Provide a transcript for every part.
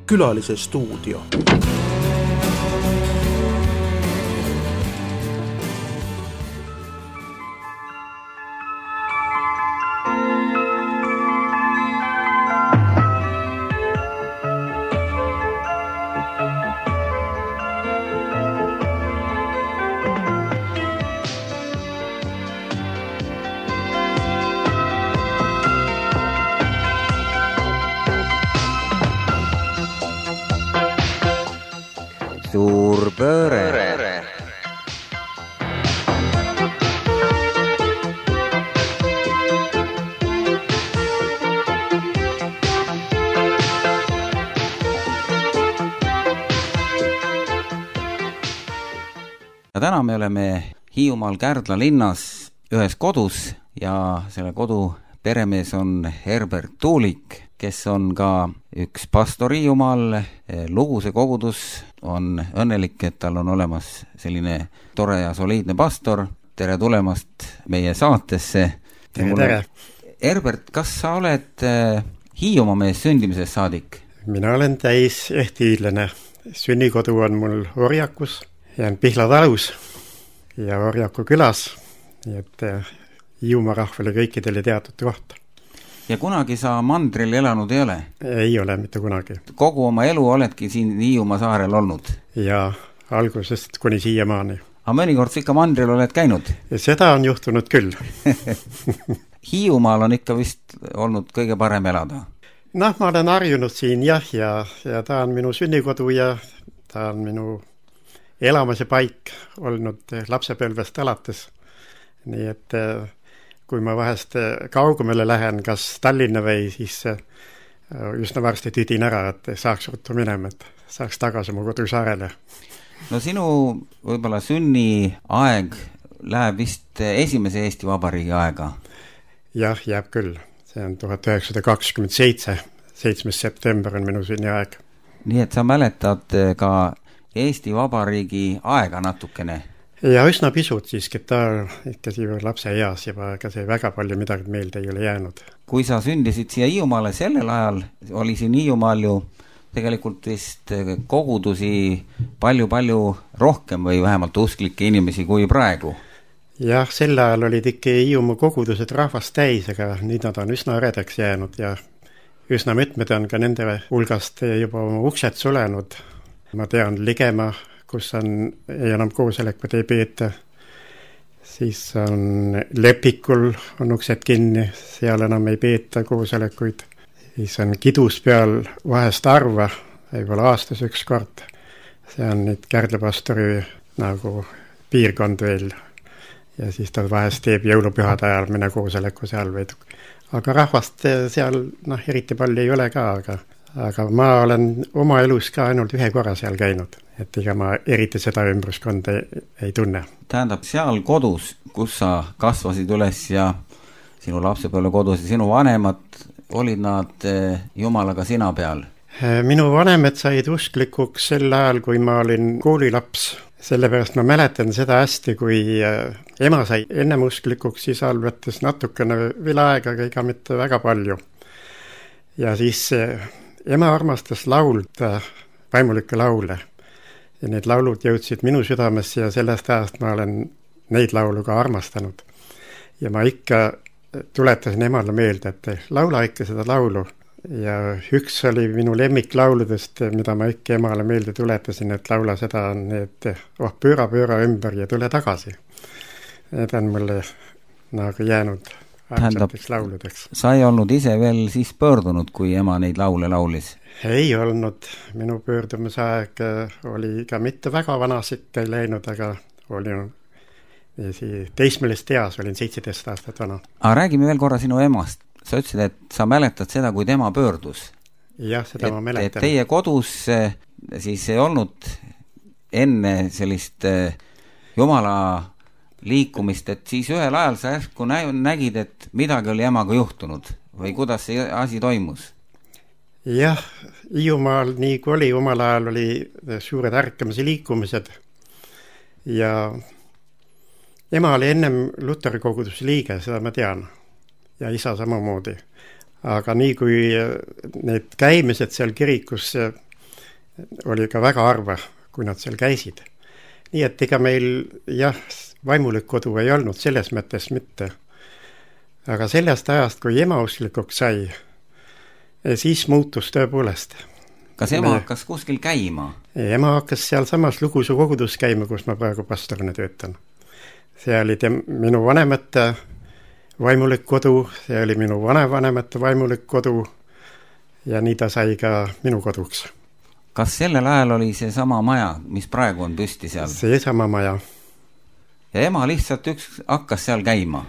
Külalise stuudio. Suur pööre. Ja täna me oleme Hiiumaal Kärdla linnas ühes kodus ja selle kodu peremees on Herbert Tuulik, kes on ka üks pastor Hiiumaal. Luguse kogudus on õnnelik, et tal on olemas selline tore ja soliidne pastor. Tere tulemast meie saatesse. Tere. Herbert, kas sa oled Hiiumaa mees sündimisest saadik? Mina olen täis ehtiidlane. Sünnikodu on mul Orjakus, jään Pihla talus ja Orjaku külas, nii et Hiiumaa rahvale kõikidele teatud kohta. Ja kunagi sa mandril elanud ei ole? Ei ole mitte kunagi. Kogu oma elu oledki siin Hiiumaa saarel olnud? Ja algusest kuni siiamaani. Aga mõnikord ikka mandril oled käinud? Ja seda on juhtunud küll. Hiiumaal on ikka vist olnud kõige parem elada? Ma olen harjunud siin ja ta on minu sünnikodu ja ta on minu elamise paik olnud lapsepõlvest alates. Nii et kui ma vahest kaugemale lähen, kas Tallinna või, siis üsna varsti tüdin ära, et saaks ruttu minema, et saaks tagasi mu kodusaarele. No sinu võib-olla sünni aeg läheb vist esimese Eesti Vabariigi aega? Jah, jääb küll. See on 1927. 7. september on minu sünni aeg. Nii et sa mäletad ka Eesti Vabariigi aega natukene? Ja üsna pisut siiski, ta ikka siia lapse eas juba, aga see väga palju midagi meelde ei ole jäänud. Kui sa sündisid siia Hiiumaale sellel ajal, oli siin Hiiumaal ju tegelikult vist kogudusi palju rohkem või vähemalt usklikke inimesi kui praegu? Jah, sel ajal olid ikka Hiiumaa kogudused rahvast täis, aga nüüd nad on üsna redaks jäänud ja üsna mitmed on ka nende hulgast juba oma uksed sulenud. Ma tean Ligema, kus ei enam koosolekut ei peeta. Siis on Lepikul on uksed kinni, seal enam ei peeta koosolekuid. Siis on Kidus peal vahest arva, võib-olla aastas üks kord. See on nüüd Kärdla-pastori nagu piirkond veel. Ja siis ta vahest teeb jõulupühade ajal minna koosoleku seal või. Aga rahvast seal eriti palju ei ole ka, aga ma olen oma elus ka ainult ühe korra seal käinud, et ega ma eriti seda ümbruskonda ei tunne. Tähendab, seal kodus, kus sa kasvasid üles ja sinu lapsepõlve kodus ja sinu vanemad, olid nad Jumalaga sina peal? Minu vanemad said usklikuks sel ajal, kui ma olin koolilaps. Sellepärast ma mäletan seda hästi, kui ema sai ennem usklikuks, siis võttes natukene veel aega, aga ega mitte väga palju. Ja siis ema armastas laulda vaimulikke laule. Ja need laulud jõudsid minu südamesse ja sellest ajast ma olen neid laulu ka armastanud. Ja ma ikka tuletasin emale meelde, et laula ikka seda laulu. Ja üks oli minu lemmiklauludest, mida ma ikka emale meelde tuletasin, et laula seda on, et pööra ümber ja tule tagasi. Need on mulle nagu jäänud aegseteks lauludeks. Sa ei olnud ise veel siis pöördunud, kui ema neid laule laulis? Ei olnud. Minu pöördumisaeg oli ka mitte väga vanasik ei läinud, aga olin teismelist eas, olin 17 aastat vana. Aga räägime veel korra sinu emast. Sa ütlesid, et sa mäletad seda, kui tema pöördus. Jah, seda ma mäletan. Et teie kodus siis ei olnud enne sellist Jumala liikumist, et siis ühel ajal sa järsku nägid, et midagi oli emaga juhtunud või kuidas see asi toimus? Jah, Hiiumaal nii kui oli, omal ajal oli suured ärkamise liikumised ja ema oli ennem Luteri koguduse liige, seda ma tean, ja isa samamoodi. Aga nii kui need käimised seal kirikus oli ka väga harva, kui nad seal käisid. Nii et ega meil jah, vaimulik kodu ei olnud selles mõttes mitte. Aga sellest ajast, kui ema usklikuks sai, siis muutus tõepoolest. Kas ema hakkas kuskil käima? Ema hakkas seal samas Lugusu kogudus käima, kus ma praegu pastorina töötan. See oli minu vanemate vaimulik kodu, see oli minu vanavanemate vaimulik kodu ja nii ta sai ka minu koduks. Kas sellel ajal oli see sama maja, mis praegu on püsti seal? See sama maja. Ja ema lihtsalt hakkas seal käima?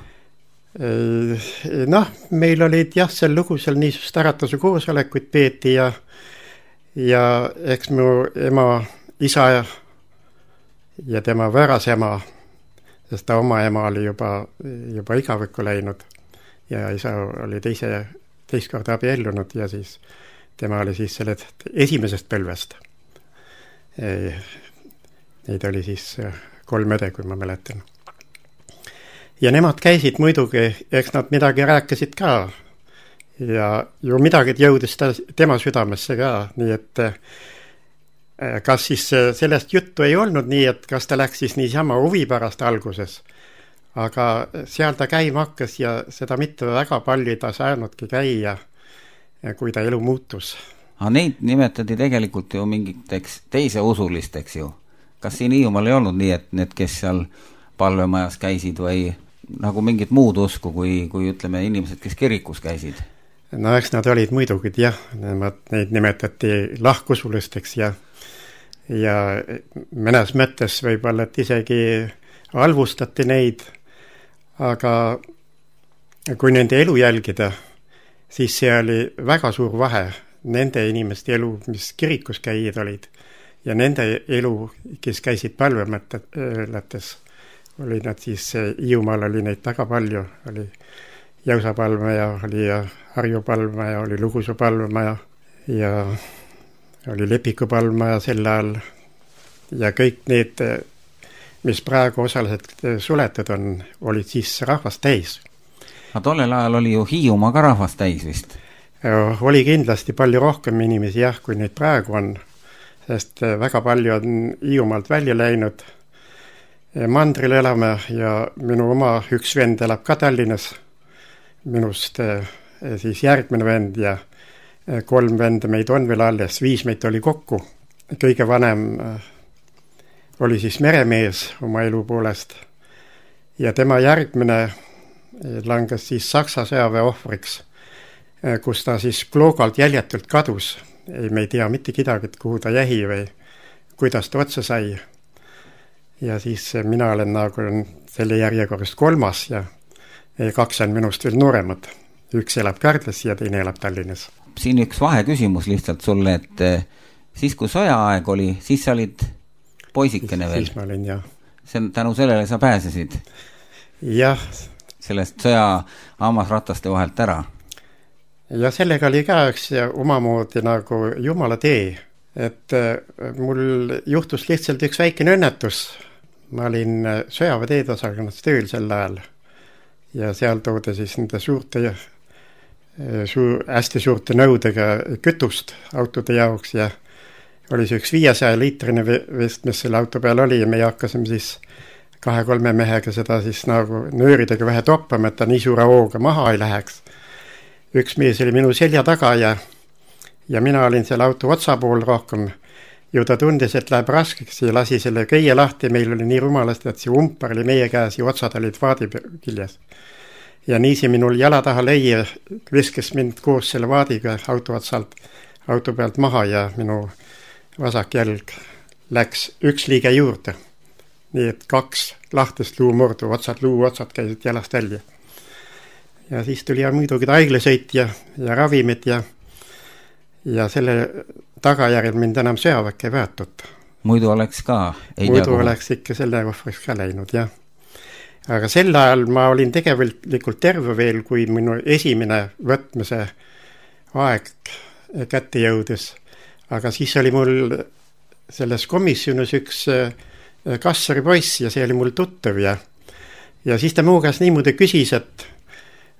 Noh, meil olid jah, seal Lugusel niisugust äratuse koosolekuid peeti ja eks mu ema isa ja tema võõras ema, sest ta oma ema oli juba igavikku läinud ja isa oli teist korda abiellunud ja siis tema oli siis sellest esimesest põlvest. Neid oli siis 3 õde, kui ma mäletan. Ja nemad käisid muidugi, eks nad midagi rääkisid ka ja ju midagi jõudis tema südamesse ka, nii et kas siis sellest juttu ei olnud nii, et kas ta läks siis niisama huvi pärast alguses, aga seal ta käima hakkas ja seda mitte väga palju ta saanudki käia, kui ta elu muutus. Aga neid nimetati tegelikult ju mingiteks teise usulisteks ju. Kas siin Hiiumaal ei olnud nii, et need, kes seal palvemajas käisid või nagu mingit muud usku, kui ütleme inimesed, kes kirikus käisid? No eks nad olid muidugi, jah, neid nimetati lahkusulisteks ja mõnes mõttes võib-olla, et isegi halvustati neid, aga kui nende elu jälgida, siis see oli väga suur vahe nende inimeste elu, mis kirikus käijad olid ja nende elu, kes käisid palvemõttes, oli nad siis, Hiiumaal oli neid väga palju, oli Jäusa palvemaja, oli Harju palvemaja, oli Lugusu palvemaja ja oli Lepiku palvemaja sel ajal ja kõik need, mis praegu osaliselt suletud on, olid siis rahvast täis. Aga tollel ajal oli ju Hiiumaa ka rahvast täis vist? Oli kindlasti palju rohkem inimesi jah, kui neid praegu on, sest väga palju on Hiiumaalt välja läinud. Mandril elame ja minu oma üks vend elab ka Tallinnas, minust siis järgmine vend ja 3 venda meid on veel alles, 5 meid oli kokku. Kõige vanem oli siis meremees oma elu poolest ja tema järgmine langes siis Saksa sõjaväe ohvriks, kus ta siis Kloogalt jäljetult kadus. Me ei tea mitte kedagi, kuhu ta jäi või kuidas ta otsa sai. Ja siis mina olen nagu selle järjekorrast 3. ja 2 on minust veel nooremad. Üks elab Kärdlas ja teine elab Tallinnas. Siin üks vaheküsimus lihtsalt sulle, et siis kui sõjaaeg oli, siis sa olid poisikene veel? Siis ma olin, jah. Tänu sellele sa pääsesid? Jah. Sellest sõja hammasrataste vahelt ära? Ja sellega oli ka üks omamoodi nagu jumala tee, et mul juhtus lihtsalt üks väikene õnnetus. Ma olin sõjaväeteedosakonnas tööl sel ajal ja seal toodi siis nende hästi suurte nõudega kütust autode jaoks ja oli see üks 500 liitrine vest, mis selle auto peal oli ja me hakkasime siis 2-3 mehega seda siis nagu nööridega vähe toppama, et ta nii suure hooga maha ei läheks. Üks mees oli minu selja taga ja mina olin selle auto otsapool rohkem. Ju ta tundis, et läheb raskeks ja lasi selle köie lahti. Meil oli nii rumalasti, et see umpar oli meie käes ja otsad olid vaadi küljes. Ja niisi minul jala taha leie viskes mind koos selle vaadiga auto pealt maha ja minu vasak jälg läks üks liige juurde. Nii et 2 lahtist luumurdu, luuotsad käisid jalast välja. Ja siis tuli muidugi haiglasõit ja ravimid ja selle tagajärjel mind enam sõjaväkke ei võetud. Muidu oleks ka? Muidu oleks ikka selle ohvriks ka läinud, jah. Aga sel ajal ma olin tegelikult terve veel, kui minu esimene võtmise aeg kätte jõudis. Aga siis oli mul selles komisjonis üks kassari poiss ja see oli mul tuttav ja siis ta muu käest niimoodi küsis, et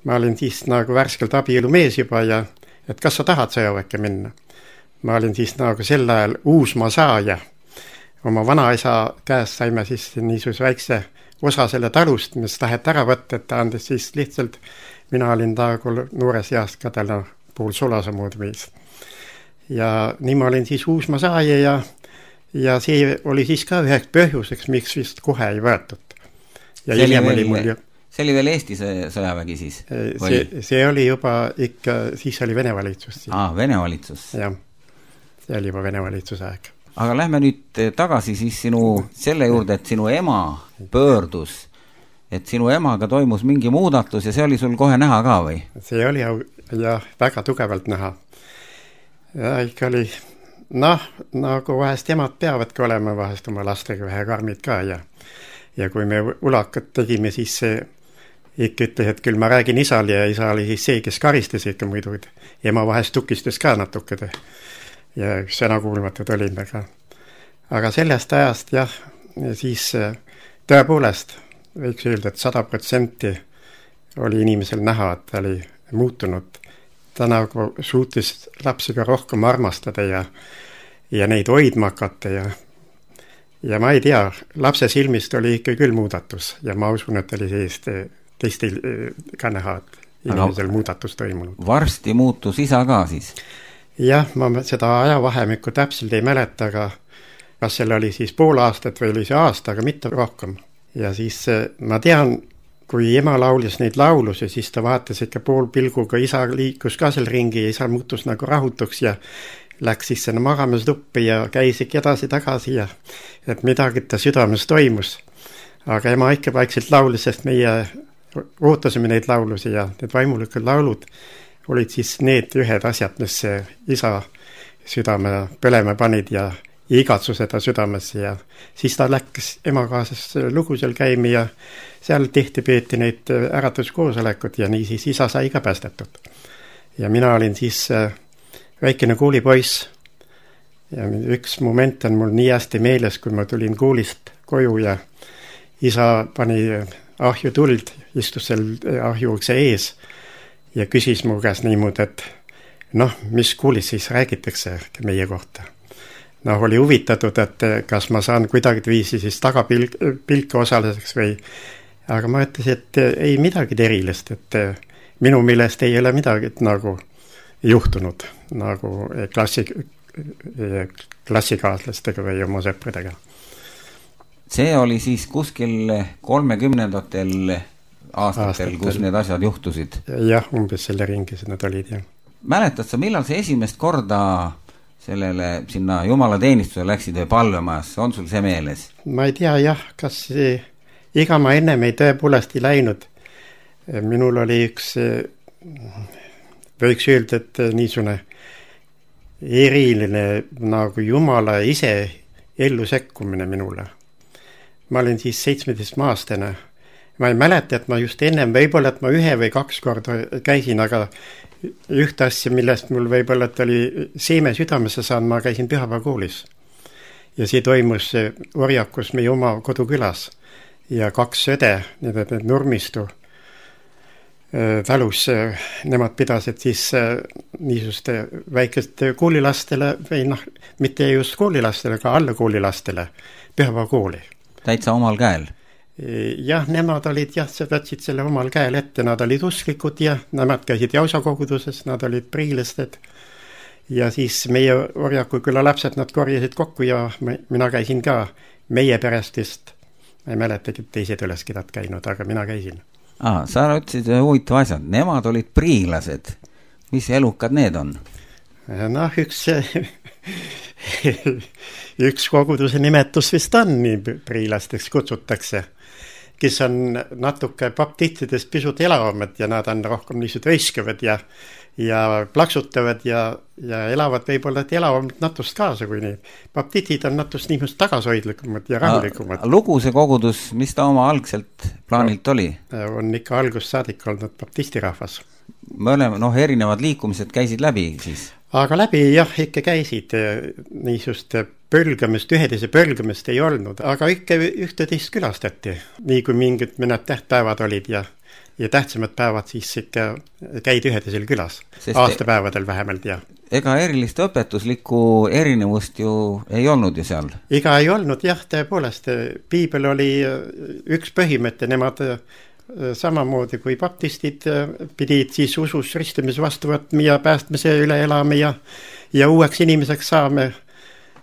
ma olin siis nagu värskelt abielu mees juba ja et kas sa tahad sõjaväkke minna. ma olin siis nagu sel ajal uusmaa saaja. Oma vanaisa käest saime siis niisuguse väikse osa selle talust, mis taheti ära võtta, et ta andis siis lihtsalt, mina olin nagu noores east ka täna pool sulase moodi mees. Ja nii ma olin siis uusmaa saaja ja see oli siis ka üheks põhjuseks, miks vist kohe ei võetud. Ja see oli veel Eesti sõjavägi siis? See oli juba ikka, siis oli Vene valitsus. Vene valitsus. Jah, see oli juba Vene valitsuse aeg. Aga lähme nüüd tagasi siis selle juurde, et sinu ema pöördus, et sinu emaga toimus mingi muudatus ja see oli sul kohe näha ka või? See oli jah, väga tugevalt näha. Ja ikka oli, nagu vahest emad peavadki olema vahest oma lastega vähe karmid ka ja kui me ulakat tegime, siis see ikka ütles, et küll ma räägin isal ja isa oli siis see, kes karistas ikka muidu. Ema vahest tukistas ka natukene ja sõnakuulmatud olime ka. Aga sellest ajast jah, siis tõepoolest võiks öelda, et 100% oli inimesel näha, et ta oli muutunud. Ta nagu suutis lapsi ka rohkem armastada ja neid hoidma hakata ja ma ei tea, lapse silmist oli ikka küll muudatus ja ma usun, et oli sellist teistel ka näha, et inimesel muudatus toimunud. Varsti muutus isa ka siis? Jah, ma seda ajavahemikku täpselt ei mäleta, aga kas seal oli siis pool aastat või oli see aasta, aga mitte rohkem. Ja siis ma tean, kui ema laulis neid laulusi, siis ta vaatas ikka pool pilguga, isa liikus ka seal ringi ja isa muutus nagu rahutuks ja läks siis sinna magamistuppi ja käis ikka edasi-tagasi ja et midagi ta südames toimus. Aga ema ikka vaikselt laulis, sest meie ootasime neid laulusi ja need vaimulikud laulud olid siis need ühed asjad, mis isa südame põlema panid ja igatsus seda südamesse ja siis ta läks ema kaasas lugu seal käimi ja seal tihti peeti neid äratuskoosolekut ja nii siis isa sai ka päästetud. Ja mina olin siis väikene koolipoiss ja üks moment on mul nii hästi meeles, kui ma tulin koolist koju ja isa pani ahju tuld, istus seal ahjuukse ees ja küsis mu käest niimoodi, et mis koolis siis räägitakse meie kohta. Oli huvitatud, et kas ma saan kuidagi viisi siis tagapilke osaliseks või, aga ma ütlesin, et ei midagi erilist, et minu meelest ei ole midagi nagu juhtunud nagu klassikaaslastega või oma sõpradega. See oli siis kuskil 30ndatel aastatel, kus need asjad juhtusid? Jah, umbes selle ringis nad olid, jah. Mäletad sa, millal see esimest korda sellele sinna jumalateenistuse läksid või palvemajasse, on sul see meeles? Ma ei tea, jah, kas iga ma ennem ei tõepoolest ei läinud. Minul oli üks, võiks öelda, et niisugune eriline nagu Jumala ise ellu sekkumine minule. Ma olin siis 17-aastane. Ma ei mäleta, et ma just ennem, võib-olla, et ma 1 või 2 korda käisin, aga ühte asja, millest mul võib-olla, et oli seeme südamesse saan, ma käisin pühapäevakoolis. Ja see toimus Orjakus meie oma kodukülas. Ja 2 õde, need Nurmistu talus, nemad pidasid siis niisuste väikeste koolilastele, või mitte just koolilastele, aga alla koolilastele pühapäevakooli. Täitsa omal käel? Jah, nemad olid, võtsid selle omal käel ette, nad olid usklikud ja nemad käisid jausakoguduses, nad olid priilasted ja siis meie Orjaku küla lapsed, nad korjasid kokku ja mina käisin ka meie perestist, ma ei mäletagi, et teised üleskidad käinud, aga mina käisin. Sa ütlesid huvitav asjad, nemad olid priilased, mis elukad need on? Üks koguduse nimetus vist on, nii priilasteks kutsutakse, kes on natuke baptistidest pisut elavamad ja nad on rohkem niisugused õiskavad ja plaksutavad ja elavad võib-olla elavamad natust kaasa, kui nii. Baptistid on natust niisugust tagasoidlikumad ja rahulikumad. Lugu see kogudus, mis ta oma algselt plaanilt oli? On ikka algust saadik olnud baptistirahvas. Erinevad liikumised käisid läbi siis? Aga läbi jah, ikka käisid niisugust pölgamist, ühedise pölgamist ei olnud, aga ikka ühte-teist külastati. Nii kui mingid mõned tähtpäevad olid ja tähtsamad päevad siis ikka käid ühedisel külas. Aastapäevadel vähemalt, jah. ega erilist õpetuslikku erinevust ju ei olnud ju seal? Ega ei olnud, jah, tõepoolest. Piibel oli üks põhimõte, nemad samamoodi kui baptistid pidid siis usus ristimise vastu võtma ja päästmise üle elama ja uueks inimeseks saame.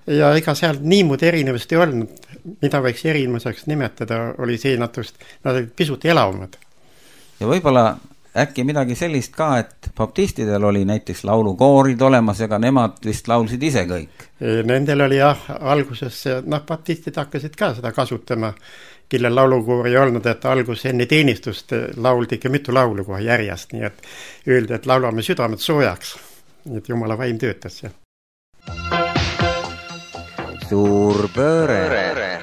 Ja ega seal niimoodi erinevust ei olnud, mida võiks erinevuseks nimetada, oli see natust, nad olid pisut elavamad. Ja võib-olla äkki midagi sellist ka, et baptistidel oli näiteks laulukoorid olemas, ega nemad vist laulsid ise kõik? Nendel oli jah, alguses, baptistid hakkasid ka seda kasutama, kellel laulukoori ei olnud, et algus enne teenistust lauldi ikka mitu laulu kohe järjest, nii et öeldi, et laulame südamed soojaks, nii et Jumala vaim töötas seal. Suur pööre.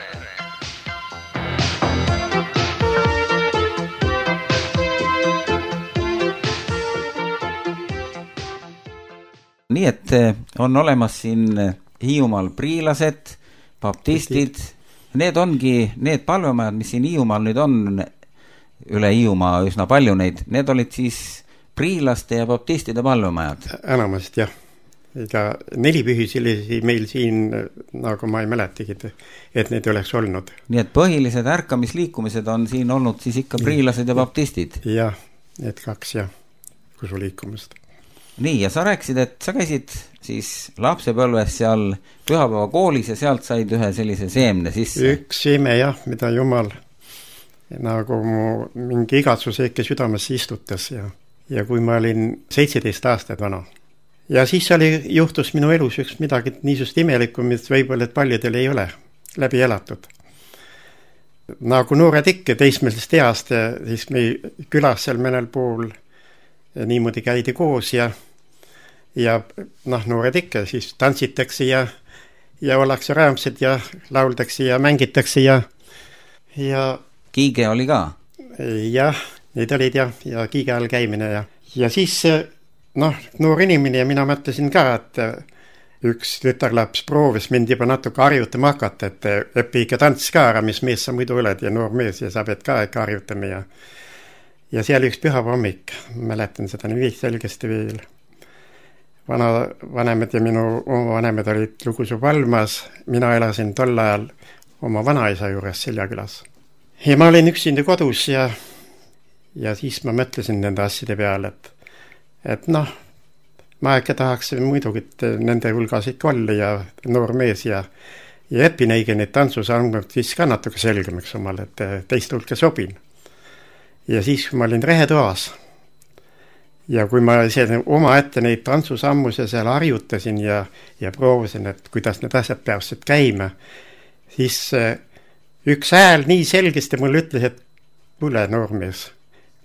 Nii et on olemas siin Hiiumaal priilased, baptistid, need ongi need palvemajad, mis siin Hiiumaal nüüd on, üle Hiiumaa üsna palju neid, need olid siis priilaste ja baptistide palvemajad? Enamast jah, ega 4 pühisilisi meil siin, nagu ma ei mäletagi, et need oleks olnud. Nii et põhilised ärkamisliikumised on siin olnud siis ikka priilased ja baptistid? Jah, need 2 jah, kusuliikumist. Nii, ja sa rääkisid, et sa käisid siis lapsepõlves seal pühapäeva koolis ja sealt said ühe sellise seemne sisse. Üks seeme jah, mida Jumal nagu mu mingi igatsuse ikka südamesse istutas ja kui ma olin 17 aastat vana. Ja siis juhtus minu elus üks midagi niisust imelikku, mis võib-olla et paljudel ei ole läbi elatud. Nagu noored ikka teismelisest east ja siis me külas seal mõnel pool niimoodi käidi koos ja noored ikka, siis tantsitakse ja ollakse rõõmsad ja lauldakse ja mängitakse ja Kiige oli ka? Jah, need olid ja kiige all käimine ja siis noor inimene ja mina mõtlesin ka, et üks tütarlaps proovis mind juba natuke harjutama hakata, et õpi ikka tants ka ära, mis mees sa muidu oled ja noor mees ja sa pead ka ikka harjutama ja seal üks pühapäeva hommik, mäletan seda nii selgesti veel. Vanemad ja minu oma vanemad olid Lugusu Palmas, mina elasin tol ajal oma vanaisa juures Seljakülas. Ja ma olin üksinda kodus ja siis ma mõtlesin nende asjade peale, et ma ikka tahaks muidugi nende hulgas ikka olla ja noor mees ja õpin õige neid tantsusalmad siis ka natuke selgemaks omal, et teist hulka sobin. Ja siis kui ma olin rehetoas ja kui ma oma ette neid tantsusammuse seal harjutasin ja proovisin, et kuidas need asjad peaksid käima, siis üks hääl nii selgesti mulle ütles, et kuule noormees,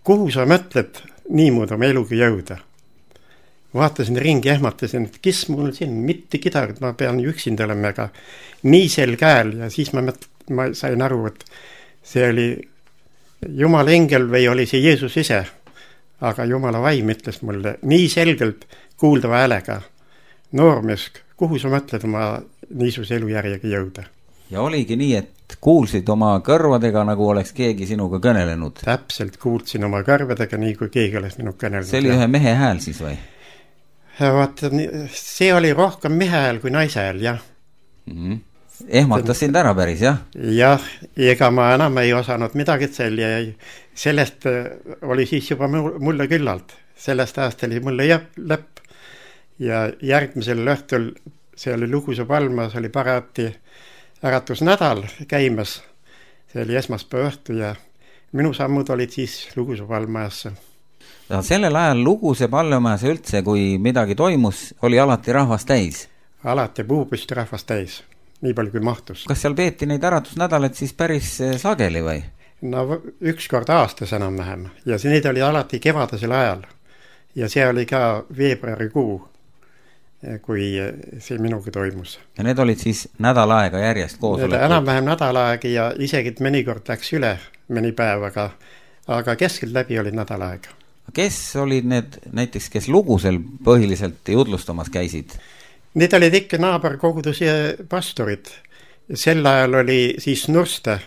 kuhu sa mõtled niimoodi oma eluga jõuda? Vaatasin ringi, ehmatasin, et kes mul siin, mitte kedagi, ma pean üksinda olema, aga nii selge hääl ja siis ma sain aru, et see oli Jumala engel või oli see Jeesus ise, aga Jumala vaim ütles mulle nii selgelt kuuldava häälega, noormees, kuhu sa mõtled oma niisuguse elujärjega jõuda? Ja oligi nii, et kuulsid oma kõrvadega, nagu oleks keegi sinuga kõnelenud? Täpselt, kuulsin oma kõrvadega, nii kui keegi oleks minu kõnelenud. See oli ühe mehe hääl siis või? Vaata, see oli rohkem mehe hääl kui naise hääl, jah. Ehmatas sind ära päris, jah? Jah, ega ma enam ei osanud midagi seal ja sellest oli siis juba mulle küllalt. Sellest ajast oli mulle lõpp ja järgmisel õhtul see oli Lugusu Palmas, oli parati äratusnädal käimas. See oli esmaspäeva õhtu ja minu sammud olid siis Lugusu Palmajasse. Ja sellel ajal Luguse Palmajas üldse, kui midagi toimus, oli alati rahvas täis? Alati puupüsti rahvas täis. Nii palju kui mahtus. Kas seal peeti neid äratusnädalat siis päris sageli või? No üks kord aastas enam vähem ja need oli alati kevadasel ajal ja see oli ka veebruarikuu, kui see minuga toimus. Ja need olid siis nädal aega järjest koosolekud? Enam-vähem nädal aega ja isegi mõnikord läks üle mõni päev, aga keskelt läbi olid nädal aega. Kes olid need näiteks, kes Lugusel põhiliselt jutlustamas käisid? Need olid ikka naaberkoguduse pastorid. Sel ajal oli siis Nurste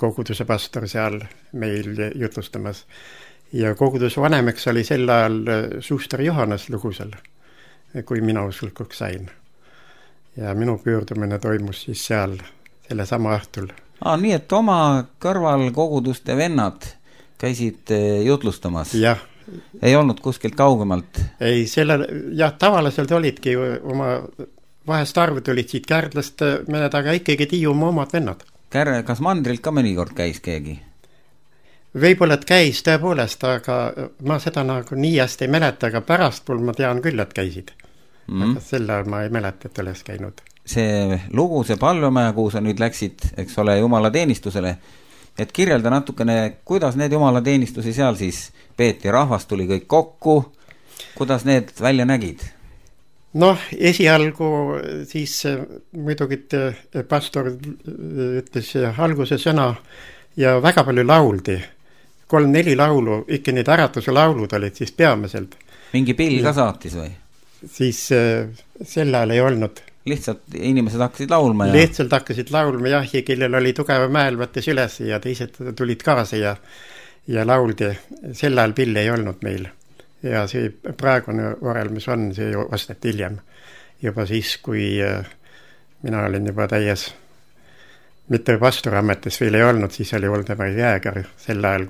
koguduse pastor seal meil jutlustamas. Ja koguduse vanemaks oli sel ajal Suster Johannes Lugusel. kui mina usulikuks sain. Ja minu pöördumine toimus siis seal selle sama õhtul. Nii et oma kõrval koguduste vennad käisid jutlustamas? Jah. Ei olnud kuskilt kaugemalt? Ei, tavaliselt olidki oma, vahest arvud olid siit Kärdlast mõned, aga ikkagi Hiiumaa omad vennad. Kas mandrilt ka mõnikord käis keegi? Võib-olla, et käis tõepoolest, aga ma seda nagu nii hästi ei mäleta, aga pärastpool ma tean küll, et käisid. Aga selle ma ei mäleta, et oleks käinud. See lugu, see Palvemaja, kuhu sa nüüd läksid, eks ole, jumalateenistusele, et kirjelda natukene, kuidas need jumalateenistusi seal siis peeti, rahvas tuli kõik kokku, kuidas need välja nägid? Esialgu siis muidugi pastor ütles alguse sõna ja väga palju lauldi. 3-4 laulu, ikka need äratuse laulud olid siis peamiselt. Mingi pill ka saatis või? Siis sel ajal ei olnud. Lihtsalt inimesed hakkasid laulma ja... Lihtsalt hakkasid laulma ja kellel oli tugeva mäel võttes üles ja teised tulid kaasa ja lauldi. Sel ajal pilli ei olnud meil. Ja see praegune orel, mis on, see osteti hiljem. Juba siis, kui mina olin juba täies, mitte pastorametis veel ei olnud, siis oli Voldemar Jääger sel ajal,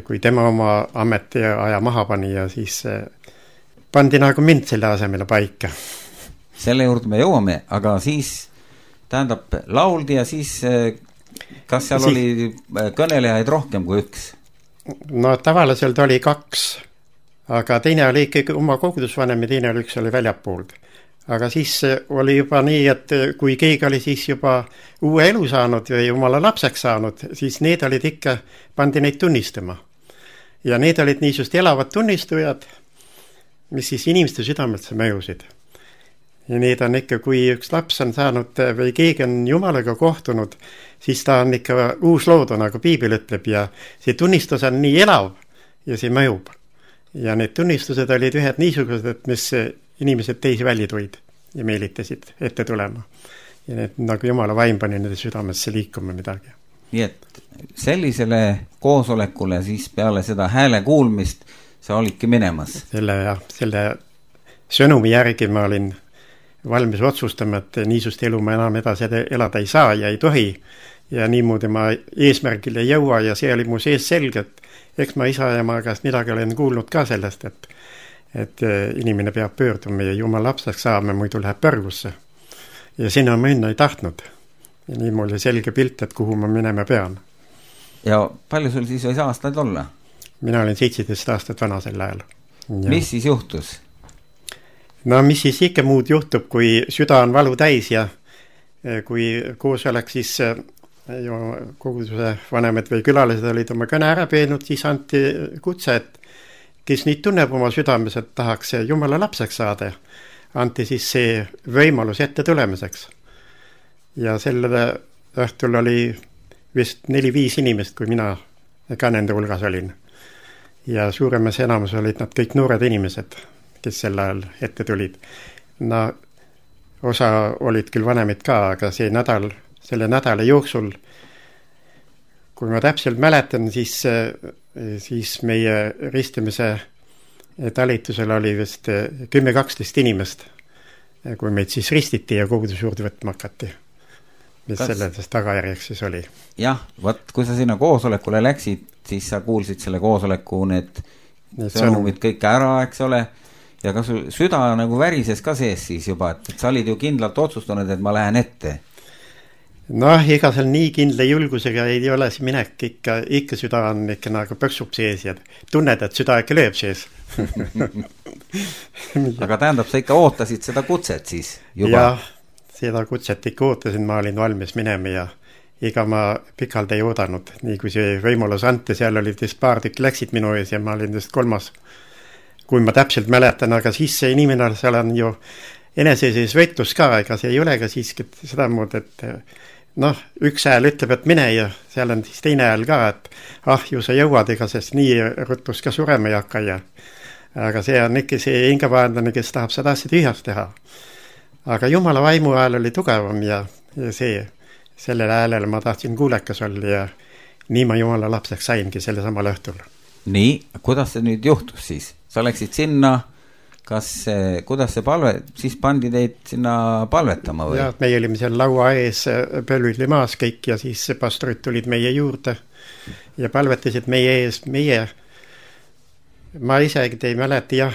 kui tema oma ameti aja maha pani ja siis pandi nagu mind selle asemele paika. Selle juurde me jõuame, aga siis tähendab lauldi ja siis kas seal oli kõnelejaid rohkem kui üks? Tavaliselt oli 2, aga teine oli ikkagi oma kogudusvanem ja teine oli üks oli väljapoolд. Aga siis oli juba nii, et kui keegi oli siis juba uue elu saanud või jumala lapseks saanud, siis need olid ikka, pandi neid tunnistama. Ja need olid niisugust elavad tunnistujad, mis siis inimeste südamelt mõjusid. Ja need on ikka, kui üks laps on saanud või keegi on jumalaga kohtunud, siis ta on ikka uus loodu, nagu piibel ütleb, ja see tunnistus on nii elav ja see mõjub. Ja need tunnistused olid ühed niisugused, mis inimesed teisi välja tuid ja meelitasid ette tulema. Ja need nagu jumala vaim pani nende südamesse liikuma midagi. Nii et sellisele koosolekule siis peale seda hääle kuulmist sa olidki minemas? Selle sõnumi järgi ma olin valmis otsustama, et niisugust elu ma enam edasi elada ei saa ja ei tohi. Ja niimoodi ma eesmärgile ei jõua ja see oli mu sees selge, et eks ma isa ja ma käest midagi olen kuulnud ka sellest, et inimene peab pöörduma ja jumal lapseks saama, muidu läheb põrgusse. Ja sinna ma minna ei tahtnud. Ja nii mul oli selge pilt, et kuhu ma minema pean. Ja palju sul siis võis aastaid olla? Mina olin 17 aastat vana sel ajal. Ja. Mis siis juhtus? Mis siis ikka muud juhtub, kui süda on valu täis ja kui koos oleks siis koguduse vanemad või külalised olid oma kõne ära peenud, siis anti kutse, et kes nüüd tunneb oma südames, et tahaks jumala lapseks saada, anti siis see võimalus ette tulemiseks. Ja selle õhtul oli vist 4-5 inimest, kui mina ka nende hulgas olin. Ja suuremas enamus olid nad kõik noored inimesed, kes sel ajal ette tulid. Osa olid küll vanemid ka, aga selle nädala jooksul, kui ma täpselt mäletan, siis meie ristimise talitusel oli vist 10-12 inimest, kui meid siis ristiti ja kogudus juurde võtma hakati. Mis selles tagajärjeks siis oli? Jah, kui sa sinna koosolekule läksid, siis sa kuulsid selle koosoleku need sõnumid kõik ära, eks ole, ja kas sul süda nagu värises ka sees siis juba, et sa olid ju kindlalt otsustanud, et ma lähen ette? Ega seal nii kindla julgusega ei ole see minek, ikka süda on ikka nagu pöksub sees ja tunned, et süda ikka lööb sees. Aga tähendab, sa ikka ootasid seda kutset siis juba? Jah, seda kutset ikka ootasin, ma olin valmis minema ja ega ma pikalt ei oodanud. Nii kui see võimalus anti, seal olid paar tükki läksid minu ees ja ma olin just 3. Kui ma täpselt mäletan, aga siis see inimene seal on ju eneseseis võitlus ka, ega see ei ole ka siiski seda mood, et üks hääl ütleb, et mine ja seal on siis teine hääl ka, et ju sa jõuad, ega sest nii ruttus ka surema ei hakka ja aga see on ikka see hingavahendane, kes tahab seda asja tühjast teha. Aga jumala vaimu hääl oli tugevam ja sellel häälel ma tahtsin kuulekas olla ja nii ma jumala lapseks saingi selle samal õhtul. Nii, kuidas see nüüd juhtus siis? Sa läksid sinna, kuidas see palve, siis pandi teid sinna palvetama või? Jah, meie olime seal laua ees pölvili maas kõik ja siis pastorid tulid meie juurde ja palvetasid meie ees, ma isegi ei mäleta ja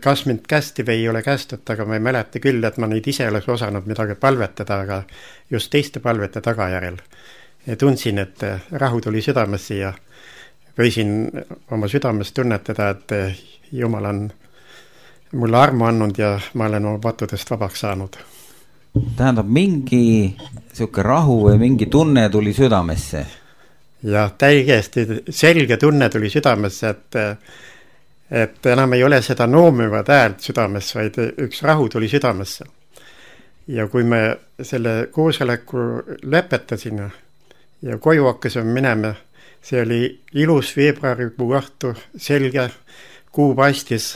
kas mind kästi või ei ole kästud, aga ma ei mäleta küll, et ma neid ise oleks osanud midagi palvetada, aga just teiste palvete tagajärjel. Ja tundsin, et rahu tuli südamesse ja võisin oma südames tunnetada, et Jumal on mulle armu andnud ja ma olen oma pattudest vabaks saanud. Tähendab, mingi siuke rahu või mingi tunne tuli südamesse? Ja täiesti selge tunne tuli südamesse, et enam ei ole seda noomivad häält südames, vaid üks rahu tuli südamesse. Ja kui me selle koosoleku lõpetasime ja koju hakkasime minema, see oli ilus veebruarikuu õhtu, selge, kuu paistis.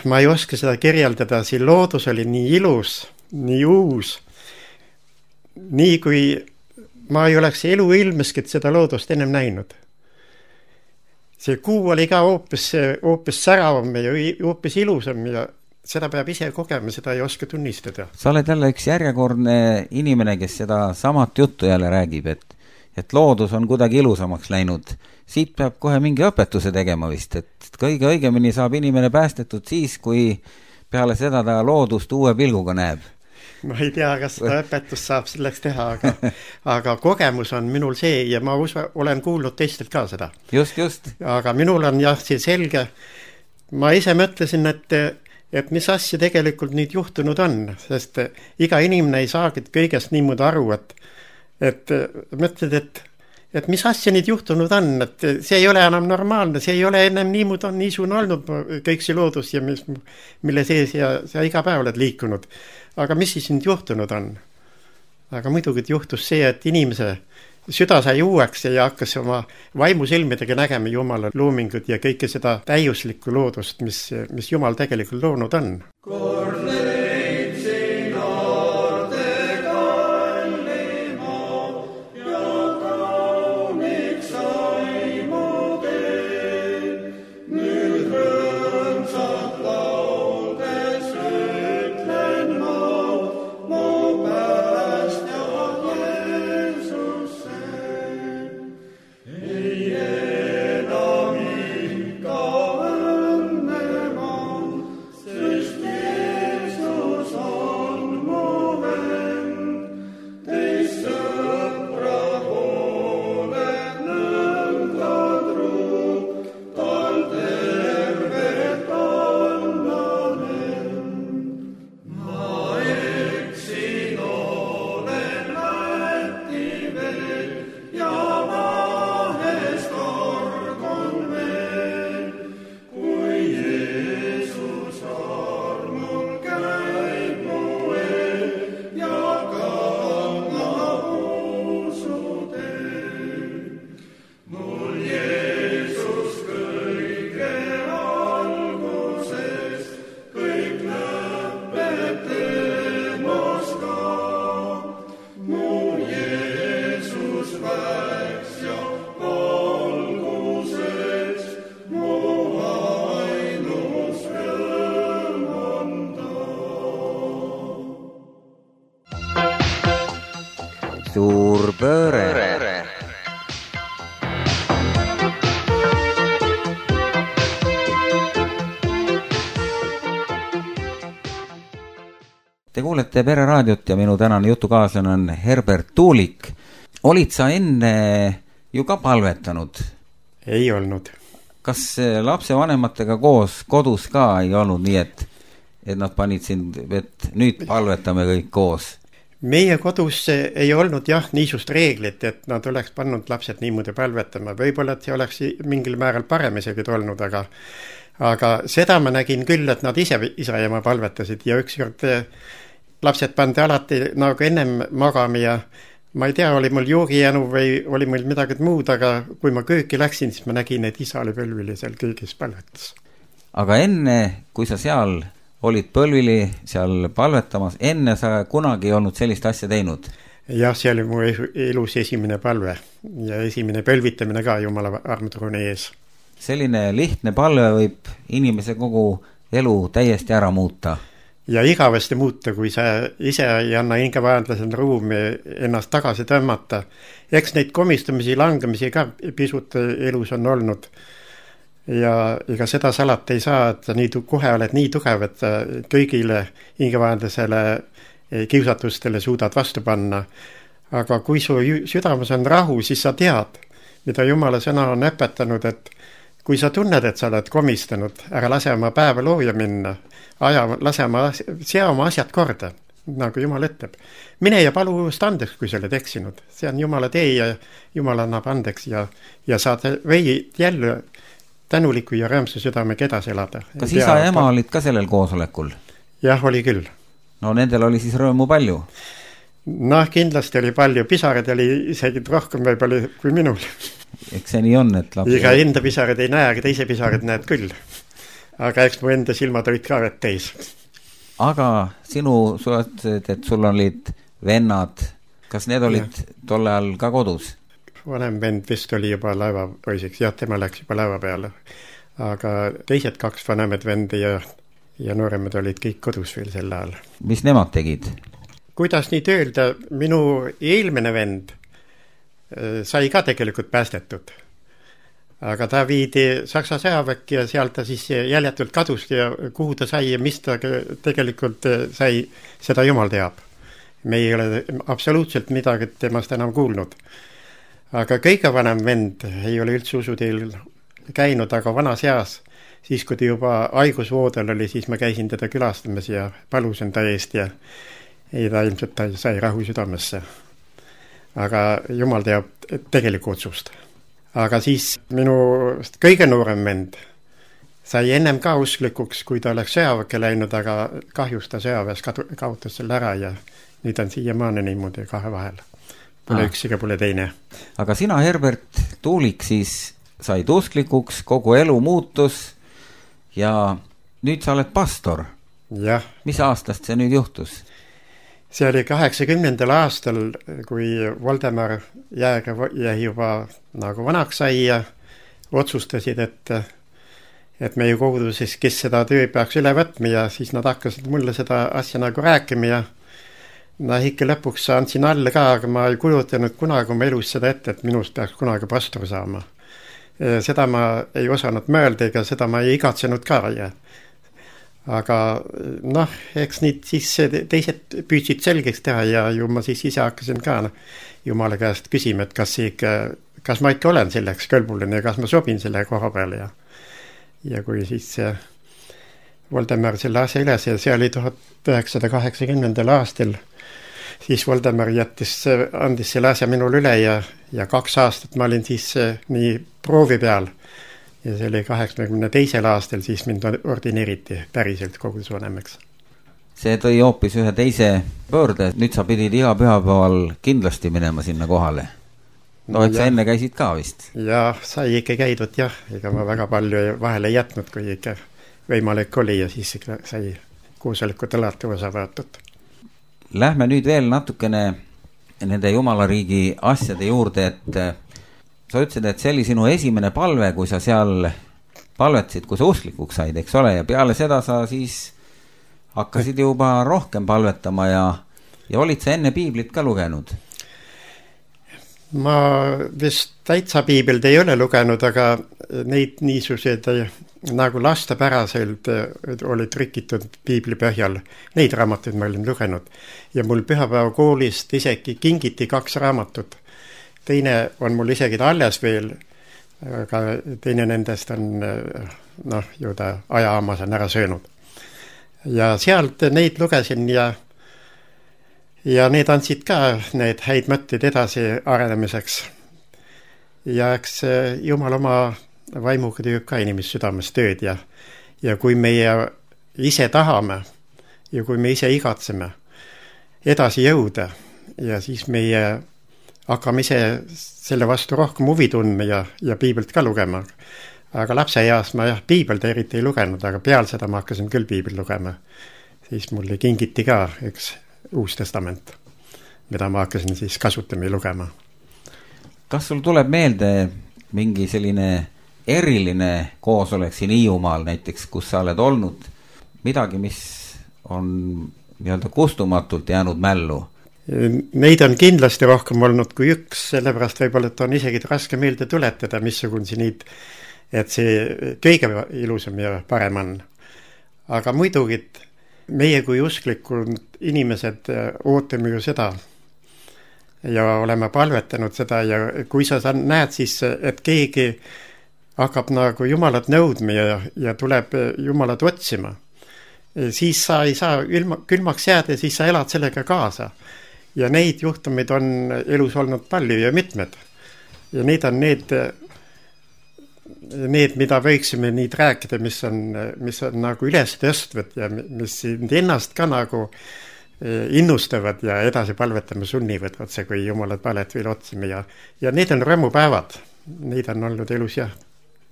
Ma ei oska seda kirjeldada, siin loodus oli nii ilus, nii uus, nii kui ma ei oleks elu ilmeski seda loodust ennem näinud. See kuu oli ka hoopis säravam ja hoopis ilusam ja seda peab ise kogema, seda ei oska tunnistada. Sa oled jälle üks järjekordne inimene, kes seda samat juttu jälle räägib, et loodus on kuidagi ilusamaks läinud. Siit peab kohe mingi õpetuse tegema vist, et kõige õigemini saab inimene päästetud siis, kui peale seda ta loodust uue pilguga näeb. Ma ei tea, kas seda õpetust saab selleks teha, aga kogemus on minul see ja ma olen kuulnud teistelt ka seda. Just. Aga minul on jah, see selge. Ma ise mõtlesin, et mis asja tegelikult nüüd juhtunud on, sest iga inimene ei saagi kõigest niimoodi aru, et mõtled, et mis asja nüüd juhtunud on, et see ei ole enam normaalne, see ei ole ennem niisugune olnud kõik see loodus ja mille sees ja sa iga päev oled liikunud. Aga mis siis nüüd juhtunud on? Aga muidugi juhtus see, et inimese süda sai uueks ja hakkas oma vaimusilmidega nägema Jumala loomingut ja kõike seda täiuslikku loodust, mis Jumal tegelikult loonud on. Suur pööre. Te kuulete Pereraadiot ja minu tänane jutukaaslane on Herbert Tuulik. Olid sa enne ju ka palvetanud? Ei olnud. Kas lapsevanematega koos kodus ka ei olnud nii, et nad panid sind, et nüüd palvetame kõik koos? Meie kodus ei olnud jah niisugust reeglit, et nad oleks pannud lapsed niimoodi palvetama. Võib-olla, et see oleks mingil määral parem isegi olnud, aga seda ma nägin küll, et nad ise isa ja ema palvetasid ja ükskord lapsed pandi alati nagu ennem magama ja ma ei tea, oli mul joogijänu või oli mul midagi muud, aga kui ma kööki läksin, siis ma nägin, et isa oli pölvili seal kõigis palvetas. Aga enne, kui sa seal olid pölvili seal palvetamas, enne sa kunagi ei olnud sellist asja teinud? Jah, see oli mu elus esimene palve ja esimene pölvitamine ka Jumala armutruuni ees. selline lihtne palve võib inimese kogu elu täiesti ära muuta. Ja igavesti muuta, kui sa ise ei anna hingevaenlasel ruumi ennast tagasi tõmmata. Eks neid komistamisi, langemisi ka pisut elus on olnud. Ja ega seda salata ei saa, et sa kohe oled nii tugev, et kõigile hingevaenlasele kiusatustele suudad vastu panna. Aga kui su südames on rahu, siis sa tead, mida Jumala sõna on õpetanud, et kui sa tunned, et sa oled komistanud, ära lase oma päeva looja minna, sea oma asjad korda, nagu Jumal ütleb. Mine ja palu just andeks, kui sa oled eksinud. See on Jumala tee ja Jumal annab andeks ja saad jälle tänuliku ja rõõmsa südamega edasi elada. Kas isa ja ema olid ka sellel koosolekul? Jah, oli küll. No nendel oli siis rõõmu palju? Noh, kindlasti oli palju. Pisarad oli isegi rohkem võib-olla kui minul. Eks see nii on, et lapsi... Iga enda pisarad ei näe, aga teise pisarad näed küll. Aga eks mu enda silmad olid ka vett täis. Aga sinu suhted, et sul olid vennad, kas need olid tolle ajal ka kodus? Vanem vend vist oli juba laevapoisiks, jah, tema läks juba laeva peale. Aga teised 2 vanemad vendi ja nooremad olid kõik kodus veel sel ajal. Mis nemad tegid? Kuidas nii öelda, minu eelmine vend sai ka tegelikult päästetud. Aga ta viidi Saksa sõjaväkki ja sealt ta siis jäljetult kadus ja kuhu ta sai ja mis ta tegelikult sai, seda Jumal teab. Me ei ole absoluutselt midagi temast enam kuulnud. Aga kõige vanem vend ei ole üldse usuteel käinud, aga vanas eas, siis kui ta juba haigusvoodel oli, siis ma käisin teda külastamas ja palusin ta eest ja ta ilmselt ta sai rahu südamesse. Aga Jumal teab tegelikku otsust. Aga siis minu kõige noorem vend sai ennem ka usklikuks, kui ta oleks sõjaväkke läinud, aga kahjus ta sõjaväes kaotas selle ära ja nüüd on siiamaani niimoodi 2 vahel. Pole üks ega pole teine. Aga sina, Herbert Tuulik, siis said usklikuks, kogu elu muutus ja nüüd sa oled pastor. Jah. Mis aastast see nüüd juhtus? See oli 80. aastal, kui Voldemar Jääger jäi juba nagu vanaks sai ja otsustasid, et meie koguduses, kes seda töö peaks üle võtma ja siis nad hakkasid mulle seda asja nagu rääkima ja ikka lõpuks andsin alla ka, aga ma ei kujutanud kunagi oma elus seda ette, et minust peaks kunagi pastor saama. Seda ma ei osanud mõelda, ega seda ma ei igatsenud ka ja aga eks nüüd siis teised püüdsid selgeks teha ja ju ma siis ise hakkasin ka Jumala käest küsima, et kas ma ikka olen selleks kõlbuline ja kas ma sobin selle koha peale ja kui siis Voldemar selle asja üles ja see oli 1980. aastal, siis Voldemar andis selle asja minul üle ja 2 aastat ma olin siis nii proovi peal. Ja see oli 82. aastal, siis mind ordineeriti päriselt kogudusvanemaks. See tõi hoopis ühe teise pöörde, nüüd sa pidid iga pühapäeval kindlasti minema sinna kohale. No, et sa enne käisid ka vist? Ja sai ikka käidud, jah. Ega ma väga palju vahele ei jätnud, kui ikka võimalik oli ja siis sai koosolekut alati osa võetud. Lähme nüüd veel natukene nende Jumalariigi asjade juurde, et sa ütlesid, et see oli sinu esimene palve, kui sa seal palvetasid, kui sa usklikuks said, eks ole, ja peale seda sa siis hakkasid juba rohkem palvetama ja olid sa enne piiblit ka lugenud? Ma vist täitsa piiblit ei ole lugenud, aga neid niisugused nagu lastepäraselt oli trükitud piibli põhjal. Neid raamatuid ma olin lugenud ja mul pühapäeva koolist isegi kingiti 2 raamatut. Teine on mul isegi alles veel, aga teine nendest on, ju ta ajaamas on ära söönud. Ja sealt neid lugesin ja need andsid ka need häid mõtteid edasi arenemiseks. Ja eks Jumal oma vaimuga teeb ka inimest südames tööd ja kui meie ise tahame ja kui me ise igatseme edasi jõuda ja siis meie hakkame ise selle vastu rohkem huvi tundma ja piiblit ka lugema. Aga lapse eas ma piiblit eriti ei lugenud, aga peal seda ma hakkasin küll piiblit lugema. Siis mulle kingiti ka üks Uus Testament, mida ma hakkasin siis kasutama ja lugema. Kas sul tuleb meelde mingi selline eriline koosolek siin Hiiumaal näiteks, kus sa oled olnud, midagi, mis on nii-öelda kustumatult jäänud mällu? Neid on kindlasti rohkem olnud kui üks, sellepärast võib-olla, et on isegi raske meelde tuletada, missugune neid, et see kõige ilusam ja parem on. Aga muidugi meie kui usklikud inimesed ootame ju seda ja oleme palvetanud seda ja kui sa näed siis, et keegi hakkab nagu Jumalat nõudma ja tuleb Jumalat otsima, siis sa ei saa külmaks jääda ja siis sa elad sellega kaasa. Ja neid juhtumeid on elus olnud palju ja mitmed. Ja need on need, mida võiksime neid rääkida, mis on nagu üles tõstvad ja mis ennast ka nagu innustavad ja edasi palvetama sunnivad, otse kui Jumalat palet veel otsime. Ja need on rõõmupäevad. Neid on olnud elus ja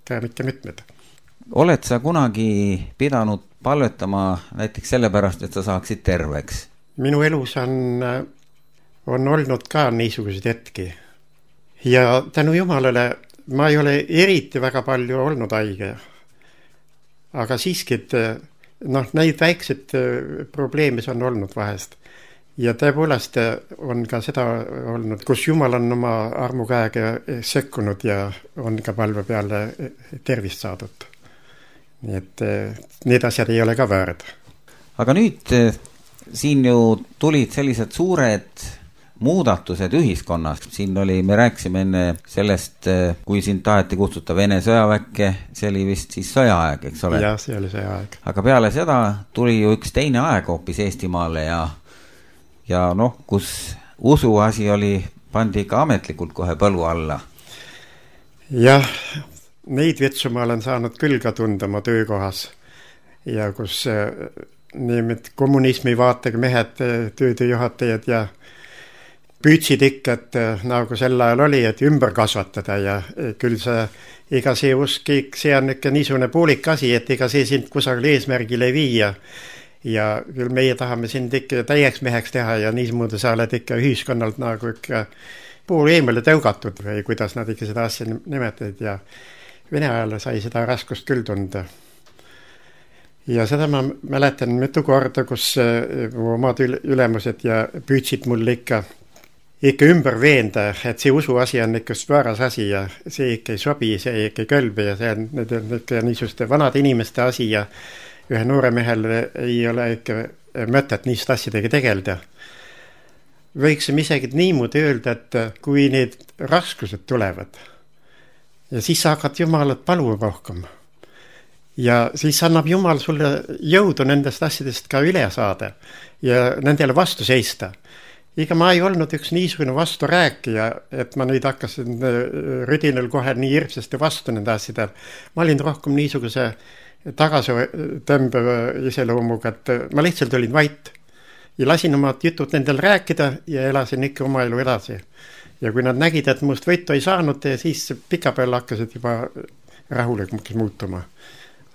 ka mitmed. Oled sa kunagi pidanud palvetama näiteks sellepärast, et sa saaksid terveks? Minu elus on olnud ka niisuguseid hetki. Ja tänu Jumalale ma ei ole eriti väga palju olnud haige. Aga siiski, neid väikseid probleeme on olnud vahest. Ja tõepoolest on ka seda olnud, kus Jumal on oma armukäega sekkunud ja on ka palve peale tervist saadud. Nii et need asjad ei ole ka väärad. Aga nüüd siin ju tulid sellised suured muudatused ühiskonnas. Siin me rääkisime enne sellest, kui siin taheti kutsuta Vene sõjaväkke, see oli vist siis sõjaaeg, eks ole? Jah, see oli sõjaaeg. Aga peale seda tuli ju üks teine aeg hoopis Eestimaale ja kus usuasi pandi ka ametlikult kohe põlu alla. Jah, neid vitsu ma olen saanud küll ka tunda oma töökohas ja kus nimelt kommunismi vaatega mehed, tööjuhatajad ja püütsid ikka, et nagu sel ajal oli, et ümber kasvatada ja küll ega see usk, see on ikka niisugune poolik asi, et ega see sind kusagil eesmärgile ei viia ja küll meie tahame sind ikka täieks meheks teha ja niismuudu sa oled ikka ühiskonnalt nagu ikka pool eemale tõugatud või kuidas nad ikka seda asja nimetavad ja Vene ajal sai seda raskust küll tunda. Ja seda ma mäletan mitu korda, kus omad ülemused ja püütsid mul ikka ümber veenda, et see usuasi on ikka vääras asi ja see ikka ei sobi, see ikka ei kõlbi ja see on ikka niisuguste vanade inimeste asi ja ühe noore mehel ei ole ikka mõtet niisugust asjadega tegelda. Võiksime isegi niimoodi öelda, et kui need raskused tulevad ja siis sa hakkad Jumalat paluma rohkem ja siis annab Jumal sulle jõudu nendest asjadest ka üle saada ja nendele vastu seista. Ega ma ei olnud üks niisugune vastu rääkija, et ma nüüd hakkasin rüdinal kohe nii hirmsasti vastu nende asjadel. Ma olin rohkem niisuguse tagasitõmbeva iseloomuga, et ma lihtsalt olin vait ja lasin oma jutud nendel rääkida ja elasin ikka oma elu edasi. Ja kui nad nägid, et must võitu ei saanud, siis pikapeal hakkasid juba rahulikumaks muutuma.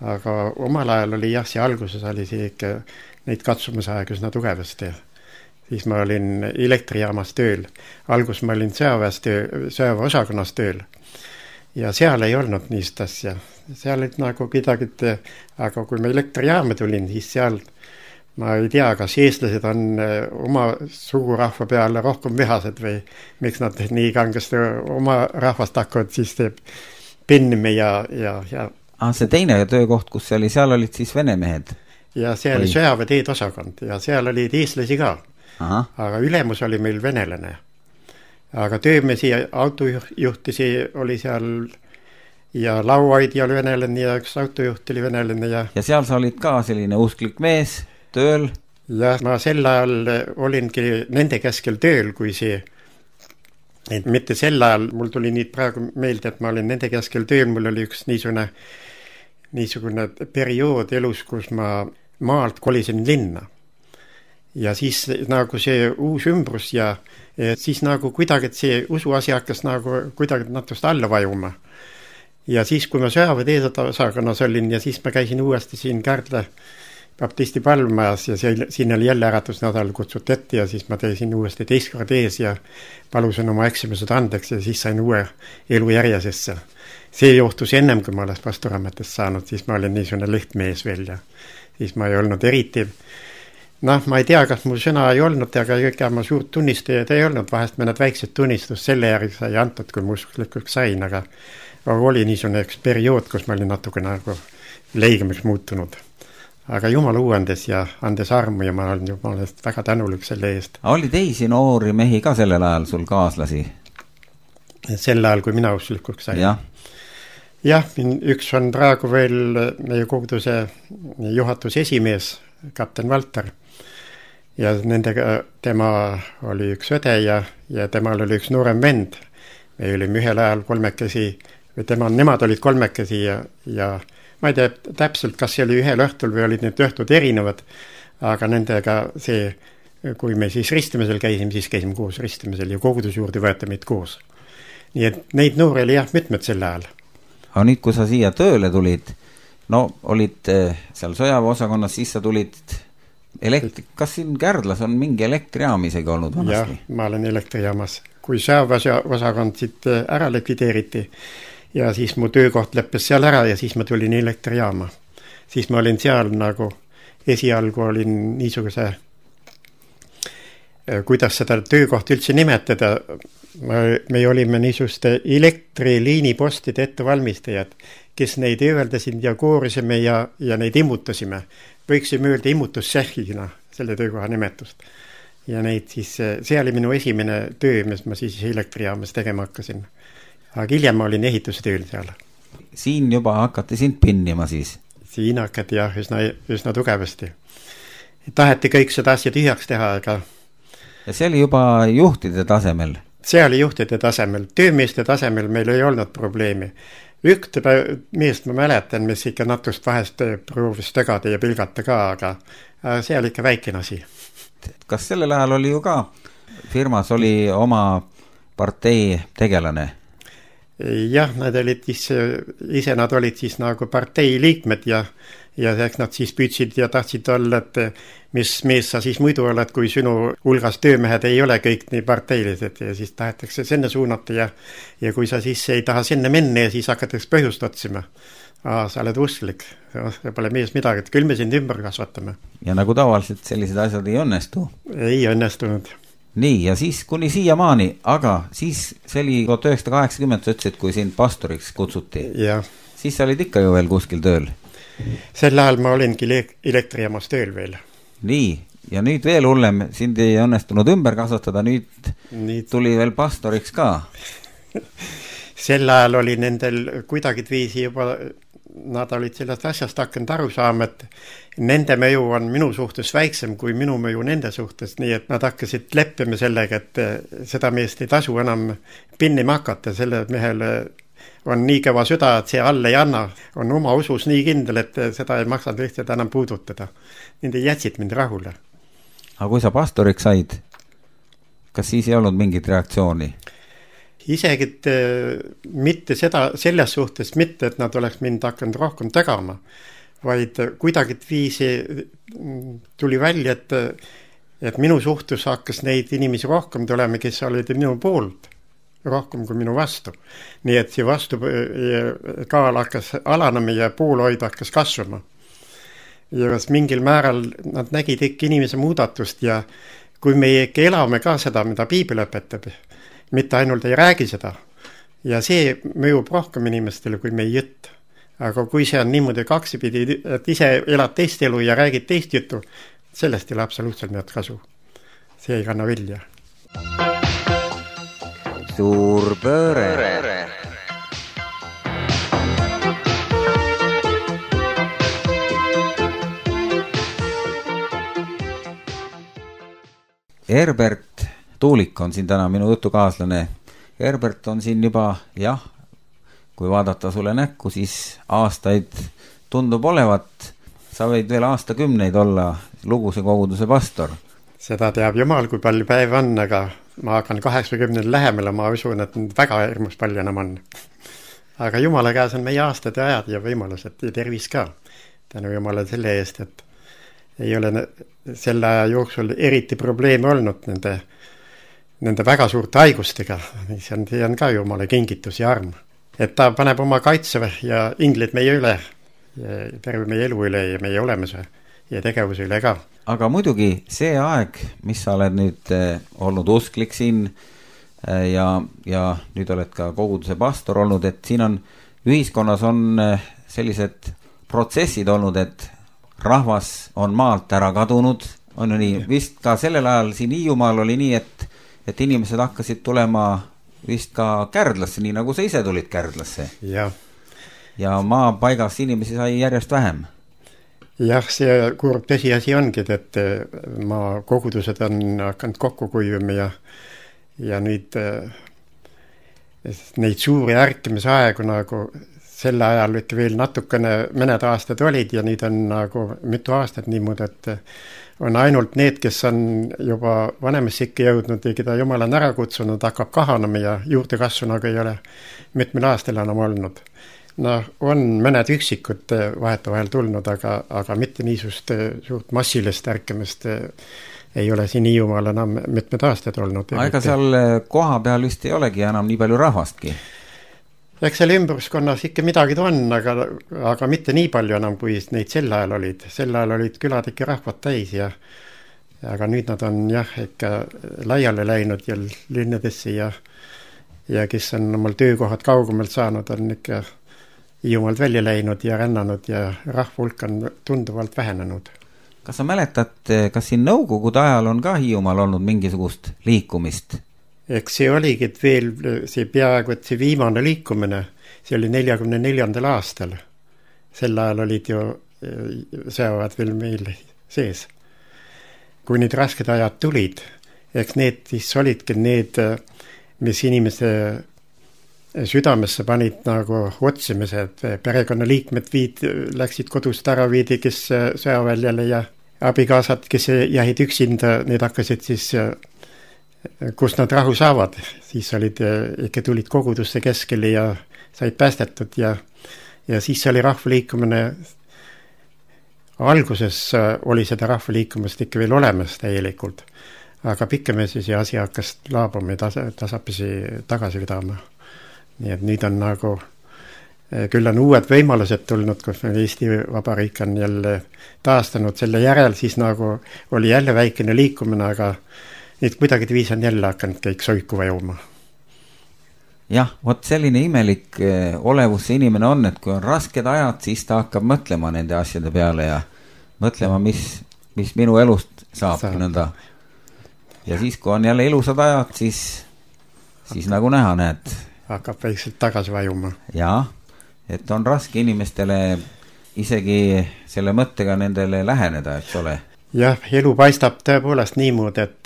Aga omal ajal oli jah, see alguses oli see ikka neid katsumisaeg üsna tugevasti. Siis ma olin elektrijaamas tööl. Algus ma olin sõjaväeosakonnas tööl. Ja seal ei olnud niist asja. Seal olid nagu midagi, aga kui ma elektrijaama tulin, siis seal ma ei tea, kas eestlased on oma sugurahva peale rohkem vihased või miks nad nii kangesti oma rahvast hakkavad siis pinnime ja. See teine töökoht, kus see oli, seal olid siis vene mehed? Ja see oli sõjaväeteed osakond ja seal olid eestlasi ka. Aha. Aga ülemus oli meil venelane. Aga töömesi autojuhtisi oli seal ja lauaidi oli venelane ja üks autojuht oli venelane. Ja seal sa olid ka selline usklik mees tööl? Ja ma sel ajal olingi nende keskel tööl, kui see, et mitte sel ajal, mul tuli nii praegu meelde, et ma olin nende keskel tööl, mul oli üks niisugune periood elus, kus ma maalt kolisin linna. Ja siis nagu see uus ümbrus ja siis nagu kuidagi see usuasi hakkas nagu kuidagi natust alla vajuma. Ja siis, kui ma sõjaväeteed osakonnas olin ja siis ma käisin uuesti siin Kärdla baptisti palvmajas ja siin oli jälle äratusnädal kutsuti ette ja siis ma teisin uuesti teist kord ees ja palusin oma eksimused andeks ja siis sain uue elu järjesesse. See juhtus ennem, kui ma olen pastorametest saanud, siis ma olin niisugune lihtmees veel ja siis ma ei olnud eriti. Ma ei tea, kas mu sõna ei olnud, aga ega ma suurt tunnistajad ei olnud, vahest mõned väiksed tunnistus selle järgi sai antud, kui ma usklikuks sain, aga oli niisugune üks periood, kus ma olin natuke nagu leigemaks muutunud. Aga Jumal uuendes ja andes armu ja ma olen Jumalast väga tänulik selle eest. Oli teisi noori mehi ka sellel ajal sul kaaslasi? Sel ajal, kui mina usklikuks sain. Jah, üks on praegu veel meie koguduse juhatuse esimees, kapten Valter. Ja nendega tema oli üks õde ja temal oli üks noorem vend. Me olime ühel ajal kolmekesi, või nemad olid kolmekesi ja ma ei tea täpselt, kas see oli ühel õhtul või olid need õhtud erinevad, aga nendega see, kui me siis ristimisel käisime, siis käisime koos ristimisel ja kogudus juurde võeti meid koos. Nii et neid noori oli mitmed sel ajal. Aga nüüd, kui sa siia tööle tulid, olid seal sõjaväeosakonnas, siis sa tulid kas siin Kärdlas on mingi elektrijaam isegi olnud vanasti? Jah, ma olen elektrijaamas. Kui sõjaväeosakond siit ära likvideeriti, ja siis mu töökoht lõppes seal ära ja siis ma tulin elektrijaama. Siis ma olin seal nagu, esialgu olin niisuguse, kuidas seda töökohta üldse nimetada, me olime niisuguste elektriliinipostide ettevalmistajad, kes neid ööveldasid ja koorisime ja neid immutasime. Võiksime öelda immutussehhina selle töökoha nimetust. Ja neid siis, see oli minu esimene töö, mis ma siis elektrijaamas tegema hakkasin. Aga hiljem ma olin ehitustööl seal. Siin juba hakati sind pinnima siis? Siin hakati jah, üsna tugevasti. Taheti kõik seda asja tühjaks teha, aga... Ja see oli juba juhtide tasemel? See oli juhtide tasemel. Töömeeste tasemel meil ei olnud probleemi. Ühte meest ma mäletan, mis ikka natust vahest proovis tegada ja pilgata ka, aga see oli ikka väikene asi. Kas sellel ajal oli ju ka firmas oli oma partei tegelane? Jah, nad olid ise nad olid siis nagu partei liikmed ja eks nad siis püüdsid ja tahtsid olla, et mis mees sa siis muidu oled, kui sinu hulgas töömehed ei ole kõik nii parteilised ja siis tahetakse sinna suunata ja kui sa siis ei taha sinna minna ja siis hakatakse põhjust otsima. Sa oled usklik, pole mees midagi, et küll me sind ümber kasvatame. Ja nagu tavaliselt sellised asjad ei õnnestu? Ei õnnestunud. Nii, ja siis kuni siiamaani, aga siis see oli 1980, sa ütlesid, kui sind pastoriks kutsuti. Ja. Siis sa olid ikka ju veel kuskil tööl? Sel ajal ma olingi elektrijaamas tööl veel. Nii, ja nüüd veel hullem, sind ei õnnestunud ümber kasvatada, nüüd tuli veel pastoriks ka. Sel ajal oli nendel kuidagi viisi juba, nad olid sellest asjast hakanud aru saama, et nende mõju on minu suhtes väiksem kui minu mõju nende suhtes, nii et nad hakkasid leppima sellega, et seda meest ei tasu enam pinnima hakata, selle mehele on nii kõva süda, et see all ei anna, on oma usus nii kindel, et seda ei maksanud lihtsalt enam puudutada. Nende jätsid mind rahule. Aga kui sa pastoriks said, kas siis ei olnud mingit reaktsiooni? Isegi mitte selles suhtes mitte, et nad oleks mind hakanud rohkem tegama, vaid kuidagi viisi tuli välja, et minu suhtes hakkas neid inimesi rohkem tulema, kes olid minu poolt, rohkem kui minu vastu. Nii et see vastu kaal hakkas alanema ja poolhoid hakkas kasvama. Ja mingil määral nad nägid ikka inimese muudatust ja kui me ikka elame ka seda, mida piibel õpetab, mitte ainult ei räägi seda. Ja see mõjub rohkem inimestele, kui me ei jõtt. Aga kui see on niimoodi kaksipidi, et ise elad teist elu ja räägid teist juttu, sellest ei ole absoluutselt midagi kasu. See ei kanna vilja. Suur pööre. Herbert Tuulik on siin täna minu jutukaaslane. Herbert on siin juba, kui vaadata sulle näkku, siis aastaid tundub olevat. Sa võid veel aastakümneid olla Luguse koguduse pastor. Seda teab Jumal, kui palju päev on, aga ma hakkan 80 lähemale, ma usun, et väga hirmus palju enam on. Aga Jumala käes on meie aastad ja ajad ja võimalused ja tervis ka. Tänu Jumala selle eest, et ei ole selle aja jooksul eriti probleeme olnud nende väga suurte haigustega. See on ka Jumala kingitus ja arm. Et ta paneb oma kaitse ja inglid meie üle, terve meie elu üle ja meie olemuse ja tegevuse üle ka. Aga muidugi see aeg, mis sa oled nüüd olnud usklik siin ja nüüd oled ka koguduse pastor olnud, et siin on ühiskonnas on sellised protsessid olnud, et rahvas on maalt ära kadunud, on ju nii, vist ka sellel ajal siin Hiiumaal oli nii, et inimesed hakkasid tulema vist ka Kärdlasse, nii nagu sa ise tulid Kärdlasse. Ja maapaigas inimesi sai järjest vähem. Jah, see kurb tõsiasi ongi, et maakogudused on hakanud kokku kuivima ja nüüd neid suuri ärkimise aegu nagu selle ajal ikka veel natukene mõned aastad olid ja nüüd on nagu mitu aastat niimoodi, et on ainult need, kes on juba vanemasse ikka jõudnud ja keda Jumal on ära kutsunud, hakkab kahanema ja juurdekasvu nagu ei ole mitmel aastal enam olnud. On mõned üksikud vahetevahel tulnud, aga mitte niisugust suurt massilist ärkimist ei ole siin Hiiumaal enam mitmed aastad olnud. Ega seal koha peal vist ei olegi enam nii palju rahvastki? Eks seal ümbruskonnas ikka midagi on, aga mitte nii palju enam, kui neid sel ajal olid. Sel ajal olid külad ikka rahvad täis aga nüüd nad on ikka laiale läinud ja linnadesse ja kes on omal töökohad kaugemalt saanud, on ikka Hiiumaalt välja läinud ja rännanud ja rahva hulk on tunduvalt vähenenud. Kas sa mäletad, kas siin nõukogude ajal on ka Hiiumaal olnud mingisugust liikumist? Eks see oligi, et veel see peaaegu, et see viimane liikumine, see oli 44. aastal. Sel ajal olid ju sõjavad veel meil sees. Kui need rasked ajad tulid, eks need siis olidki need, mis inimese südamesse panid nagu otsimised, perekonnaliikmed läksid kodust ära, viidi, kes sõjaväljale ja abikaasad, kes jäid üksinda, need hakkasid siis kus nad rahu saavad, siis ikka tulid kogudusse keskele ja said päästetud ja siis oli rahvaliikumine, alguses oli seda rahvaliikumist ikka veel olemas täielikult, aga pikemesi see asi hakkas laabuma ja tasapisi tagasi vedama. Nii et nüüd on nagu, küll on uued võimalused tulnud, kus Eesti Vabariik on jälle taastanud selle järel, siis nagu oli jälle väikene liikumine, aga nüüd kuidagi viis on jälle hakanud kõik soiku vajuma. Jah, vot selline imelik olevus see inimene on, et kui on rasked ajad, siis ta hakkab mõtlema nende asjade peale ja mõtlema, mis minu elust saab. Nõnda. Ja siis, kui on jälle ilusad ajad, siis nagu näha, näed. Hakkab väikselt tagasi vajuma. Jaa, et on raske inimestele isegi selle mõttega nendele läheneda, eks ole. Jah, elu paistab tõepoolest niimoodi, et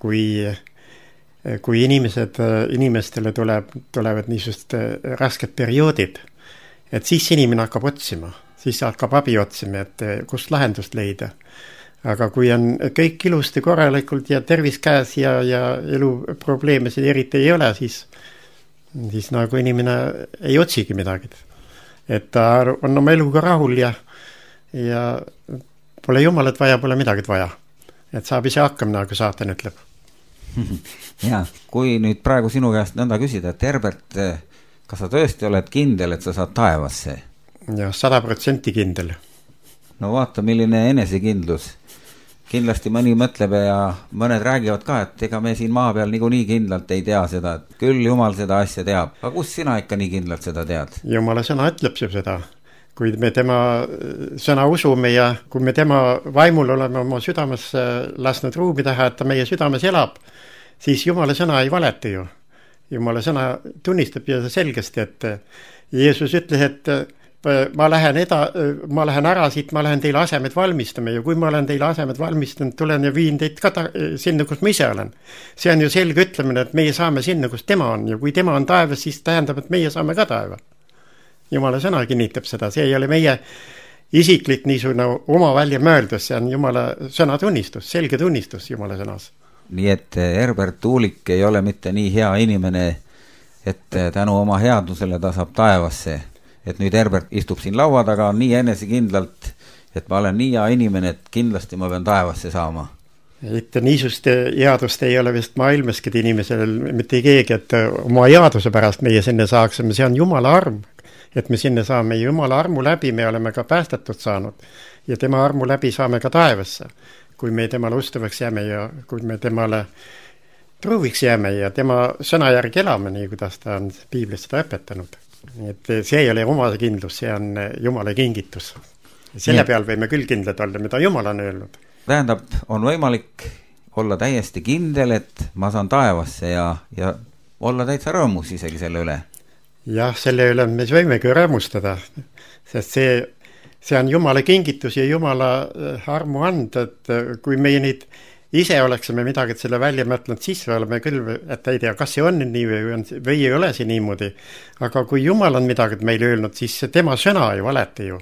kui inimestele tulevad niisugust rasked perioodid, et siis inimene hakkab otsima, siis hakkab abi otsima, et kust lahendust leida. Aga kui on kõik ilusti korralikult ja tervis käes ja elu probleemisid eriti ei ole, siis nagu inimene ei otsigi midagi. Et ta on oma eluga rahul ja pole Jumalat vaja, pole midagi vaja. Et saab ise hakkama, nagu saatan ütleb. Ja, kui nüüd praegu sinu käest nõnda küsida, et Herbert, kas sa tõesti oled kindel, et sa saad taevasse? Ja 100% kindel. No vaata, milline enesekindlus. Kindlasti mõni mõtleb ja mõned räägivad ka, et ega me siin maa peal niikuinii kindlalt ei tea seda, et küll Jumal seda asja teab. Aga kus sina ikka nii kindlalt seda tead? Jumala sõna ütleb seda. Kui me tema sõna usume ja kui me tema vaimul oleme oma südames lasknud ruumi taha, et ta meie südames elab, siis Jumala sõna ei valeta ju. Jumala sõna tunnistab ja selgesti, et Jeesus ütles, et ma lähen ära siit, ma lähen teile asemed valmistama ja kui ma olen teile asemed valmistanud, tulen ja viin teid ka sinna, kus ma ise olen. See on ju selge ütlemine, et meie saame sinna, kus tema on ja kui tema on taevas, siis tähendab, et meie saame ka taeva. Jumala sõna kinnitab seda, see ei ole meie isiklik niisugune oma välja mõeldus, see on Jumala sõna tunnistus, selge tunnistus Jumala sõnas. Nii et Herbert Tuulik ei ole mitte nii hea inimene, et tänu oma headusele ta saab taevasse. Et nüüd Herbert istub siin laua taga nii enesekindlalt et ma olen nii hea inimene, et kindlasti ma pean taevasse saama. Et niisugust headust ei ole vist maailmaski inimesel mitte keegi, et oma headuse pärast meie sinna saaksime, see on Jumala arm. Et me sinna saame Jumala armu läbi, me oleme ka päästetud saanud ja tema armu läbi saame ka taevasse, kui me temale ustavaks jääme ja kui me temale truuviks jääme ja tema sõna järgi elame, nii kuidas ta on piiblis seda õpetanud. Et see ei ole oma kindlus, see on Jumala kingitus. Selle peal võime küll kindlad olla, mida Jumal on öelnud. Tähendab, on võimalik olla täiesti kindel, et ma saan taevasse ja olla täitsa rõõmus isegi selle üle. Jah, selle üle me võimegi rõõmustada, sest see on Jumala kingitus ja Jumala armu anda, et kui meie nüüd ise oleksime midagi selle välja mõtlenud, siis oleme küll, et ei tea, kas see on nii või ei ole see niimoodi. Aga kui Jumal on midagi meile öelnud, siis tema sõna ei valeta ju.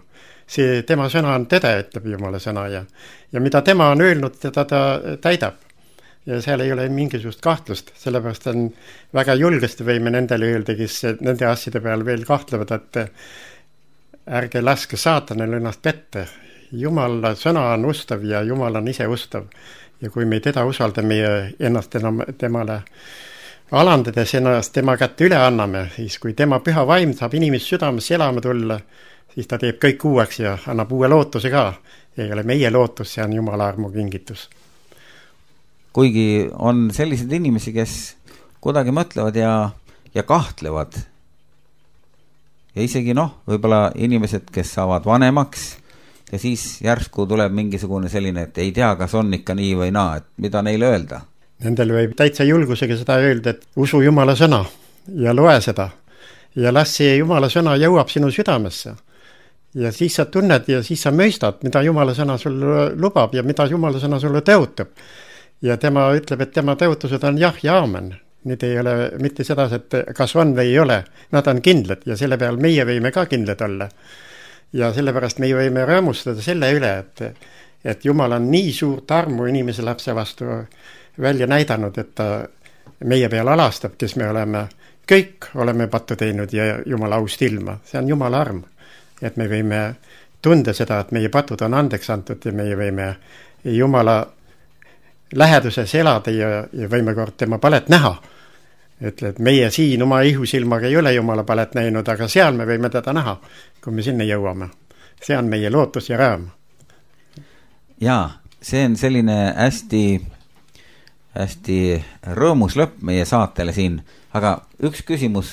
See tema sõna on tõde, ütleb Jumala sõna ja mida tema on öelnud, teda ta täidab. Ja seal ei ole mingisugust kahtlust, sellepärast on väga julgesti võime nendele öelda, kes nende asjade peal veel kahtlevad, et ärge laske saatanel ennast pette. Jumala sõna on ustav ja Jumal on ise ustav. Ja kui me teda usaldame ja ennast temale alandades ennast tema kätte üle anname, siis kui tema püha vaim saab inimest südames elama tulla, siis ta teeb kõik uueks ja annab uue lootuse ka. Ei ole meie lootus, see on Jumala armu kingitus. Kuigi on sellised inimesi, kes kuidagi mõtlevad ja kahtlevad. Ja isegi võib-olla inimesed, kes saavad vanemaks ja siis järsku tuleb mingisugune selline, et ei tea, kas on ikka nii või naa, et mida neile öelda. Nendel võib täitsa julgusega seda öelda, et usu Jumala sõna ja loe seda ja las see Jumala sõna jõuab sinu südamesse. Ja siis sa tunned ja siis sa mõistad, mida Jumala sõna sulle lubab ja mida Jumala sõna sulle tõotab. Ja tema ütleb, et tema tõotused on jah ja aamen. Need ei ole mitte seda, et kas on või ei ole. Nad on kindlad ja selle peal meie võime ka kindlad olla. Ja sellepärast meie võime rõõmustada selle üle, et Jumal on nii suurt armu inimese lapse vastu välja näidanud, et ta meie peal alastab, kes me oleme. Kõik oleme pattu teinud ja Jumala aust ilma. See on Jumala arm. Et me võime tunda seda, et meie patud on andeks antud ja meie võime Jumala läheduses elada ja võime kord tema palet näha. Ütle, et meie siin oma ihusilmaga ei ole Jumala palet näinud, aga seal me võime teda näha, kui me sinna jõuame. See on meie lootus ja rõõm. Jaa, see on selline hästi rõõmus lõpp meie saatele siin. Aga üks küsimus,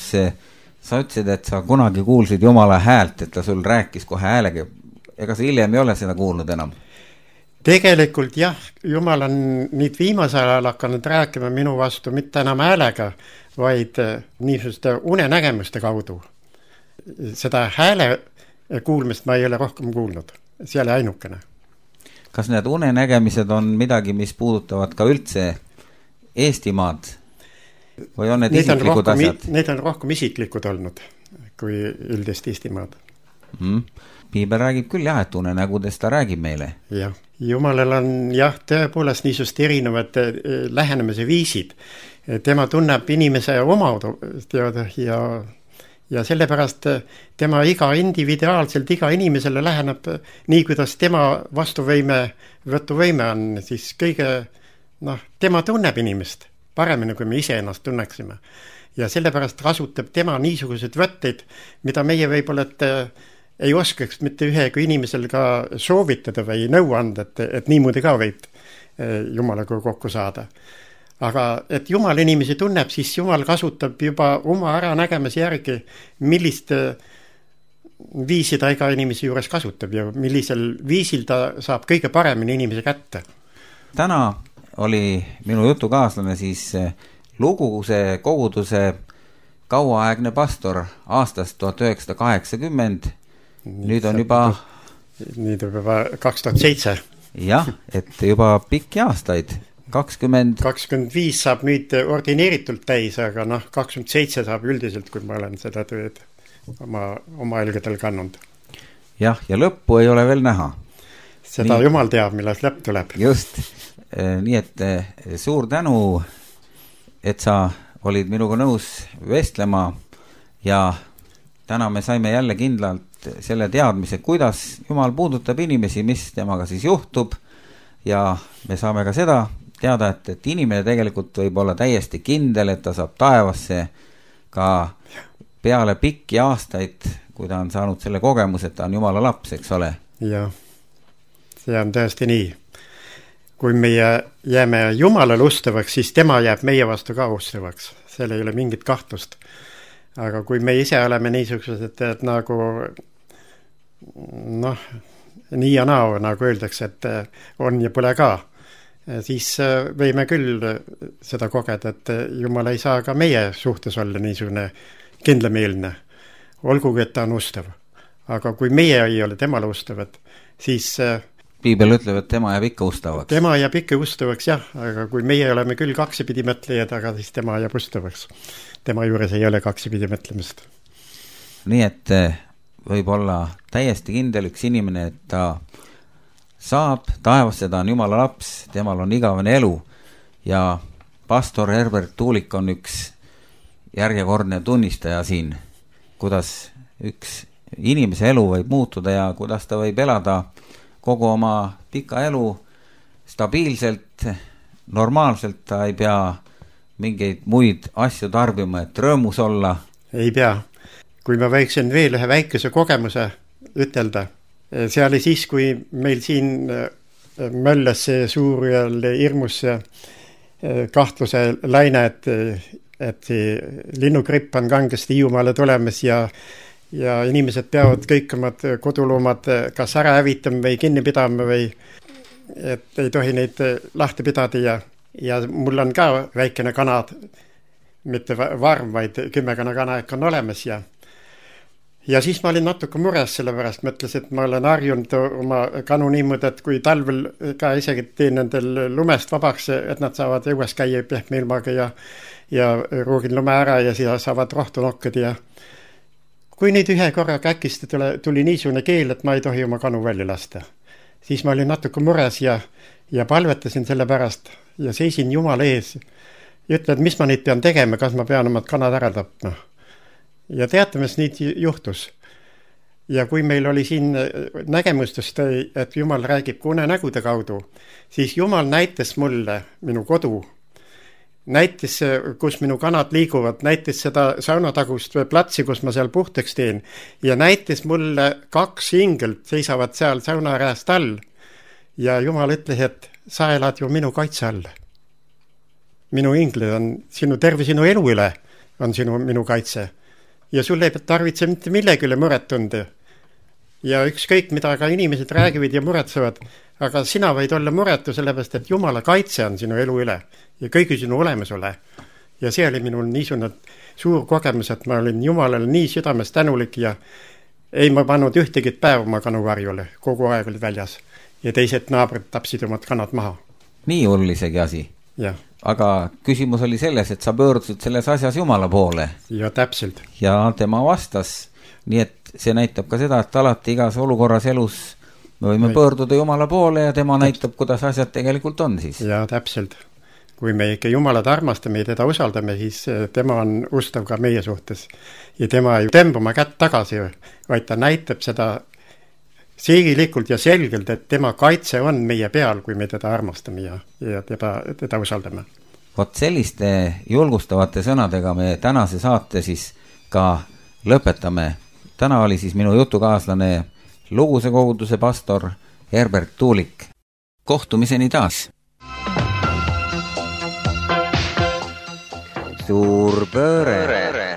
sa ütlesid, et sa kunagi kuulsid Jumala häält, et ta sul rääkis kohe häälega. Ega sa hiljem ei ole seda kuulnud enam? Tegelikult jah, Jumal on nüüd viimasel ajal hakanud rääkima minu vastu mitte enam häälega, vaid niisuguste unenägemuste kaudu. Seda hääle kuulmist ma ei ole rohkem kuulnud. See oli ainukene. Kas need unenägemised on midagi, mis puudutavad ka üldse Eestimaad? Või on need isiklikud asjad? Need on rohkem isiklikud olnud kui üldist Eestimaad. Piibel räägib küll jah, et unenägudest ta räägib meile. Jah, Jumalal on jah, tõepoolest niisugust erinevad lähenemise viisid. Tema tunneb inimese omadust ja sellepärast tema iga individuaalselt, iga inimesele läheneb nii, kuidas tema võtuvõime on, siis kõige, tema tunneb inimest paremini, kui me ise ennast tunneksime. Ja sellepärast kasutab tema niisugused võtteid, mida meie võib-olla ei oskaks mitte ühega inimesel ka soovitada või nõu anda, et niimoodi ka võib Jumalaga kokku saada. Aga et Jumal inimesi tunneb, siis Jumal kasutab juba oma äranägemise järgi, millist viisi ta iga inimese juures kasutab ja millisel viisil ta saab kõige paremini inimese kätte. Täna oli minu jutukaaslane siis Luguse koguduse kauaaegne pastor aastast 1980. Nüüd on juba 2007. Jah, et juba pikki aastaid. 25 saab nüüd ordineeritult täis, aga 27 saab üldiselt, kui ma olen seda tööd oma elgedel kannud. Jah, ja lõppu ei ole veel näha. Seda Jumal teab, millal lõpp tuleb. Just, nii et suur tänu, et sa olid minuga nõus vestlema ja täna me saime jälle kindlalt selle teadmise, kuidas Jumal puudutab inimesi, mis temaga siis juhtub ja me saame ka seda teada, et inimene tegelikult võib olla täiesti kindel, et ta saab taevasse ka peale pikki aastaid, kui ta on saanud selle kogemuse, et ta on Jumala laps, eks ole? Jah, see on tõesti nii. Kui meie jääme Jumalale ustavaks, siis tema jääb meie vastu ka ustavaks. Seal ei ole mingit kahtlust. Aga kui me ise oleme niisugused, et nagu nii ja naa, nagu öeldakse, et on ja pole ka, siis võime küll seda kogeda, et Jumal ei saa ka meie suhtes olla niisugune kindlameelne. Olgugi, et ta on ustav. Aga kui meie ei ole temale ustavad, siis Piibel ütleb, et tema jääb ikka ustavaks. Tema jääb ikka ustavaks, jah, aga kui meie oleme küll kaksipidi mõtlejad, aga siis tema jääb ustavaks. Tema juures ei ole kaksipidi mõtlemist. Nii et võib olla täiesti kindel üks inimene, et ta saab taevasse, ta on Jumala laps, temal on igavene elu ja pastor Herbert Tuulik on üks järjekordne tunnistaja siin, kuidas üks inimese elu võib muutuda ja kuidas ta võib elada kogu oma pika elu stabiilselt, normaalselt, ta ei pea mingeid muid asju tarbima, et rõõmus olla. Ei pea. Kui ma võiksin veel ühe väikese kogemuse ütelda, see oli siis, kui meil siin möllas see suur ja hirmus kahtluse laine, et linnugripp on kangesti Hiiumaale tulemas ja inimesed peavad kõik omad koduloomad kas ära hävitama või kinni pidama või et ei tohi neid lahti pidada ja mul on ka väikene kana, mitte varm, vaid 10 kana on olemas ja siis ma olin natuke mures selle pärast, mõtles, et ma olen harjunud oma kanu niimoodi, et kui talvel ka isegi teen nendel lumest vabaks, et nad saavad õues käia pehme ilmaga ja ruugin lume ära ja siis saavad rohtu nokkad ja kui neid ühe korraga äkki tuli niisugune keel, et ma ei tohi oma kanu välja lasta. Siis ma olin natuke mures ja palvetasin selle pärast ja seisin Jumala ees. Ja ütlen, et mis ma neid pean tegema, kas ma pean omad kanad ära tapma. Ja teate, mis neid juhtus. Ja kui meil oli siin nägemustest, et Jumal räägib unenägude kaudu, siis Jumal näitas mulle minu kodu, näitas, kus minu kanad liiguvad, näitas seda saunatagust või platsi, kus ma seal puhtaks teen ja näitas mulle 2 ingelt seisavad seal saunarääst all ja Jumal ütles, et sa elad ju minu kaitse all. Minu inglid on terve sinu elu üle on minu kaitse ja sul ei tarvitse mitte millegi üle muret tunda ja ükskõik mida ka inimesed räägivad ja muretsevad, aga sina võid olla muretu sellepärast, et Jumala kaitse on sinu elu üle ja kõigi sinu olemasole. Ja see oli minul niisugune suur kogemus, et ma olin Jumalale nii südames tänulik ja ei ma pannud ühtegi päev oma kanuvarjule, kogu aeg olid väljas ja teised naabrid tapsid omad kanad maha. Nii hull isegi asi? Jah. Aga küsimus oli selles, et sa pöördusid selles asjas Jumala poole. Ja täpselt. Ja tema vastas, nii et see näitab ka seda, et alati igas olukorras elus me võime pöörduda Jumala poole ja tema näitab, kuidas asjad tegelikult on siis. Ja täpselt. Kui me ikka Jumalat armastame ja teda usaldame, siis tema on ustav ka meie suhtes. Ja tema ei tõmba oma kätt tagasi, vaid ta näitab seda siigilikult ja selgelt, et tema kaitse on meie peal, kui me teda armastame ja teda usaldame. Vot selliste julgustavate sõnadega me tänase saate siis ka lõpetame. Täna oli siis minu jutukaaslane Luguse koguduse pastor Herbert Tuulik. Kohtumiseni taas! Suur pööre!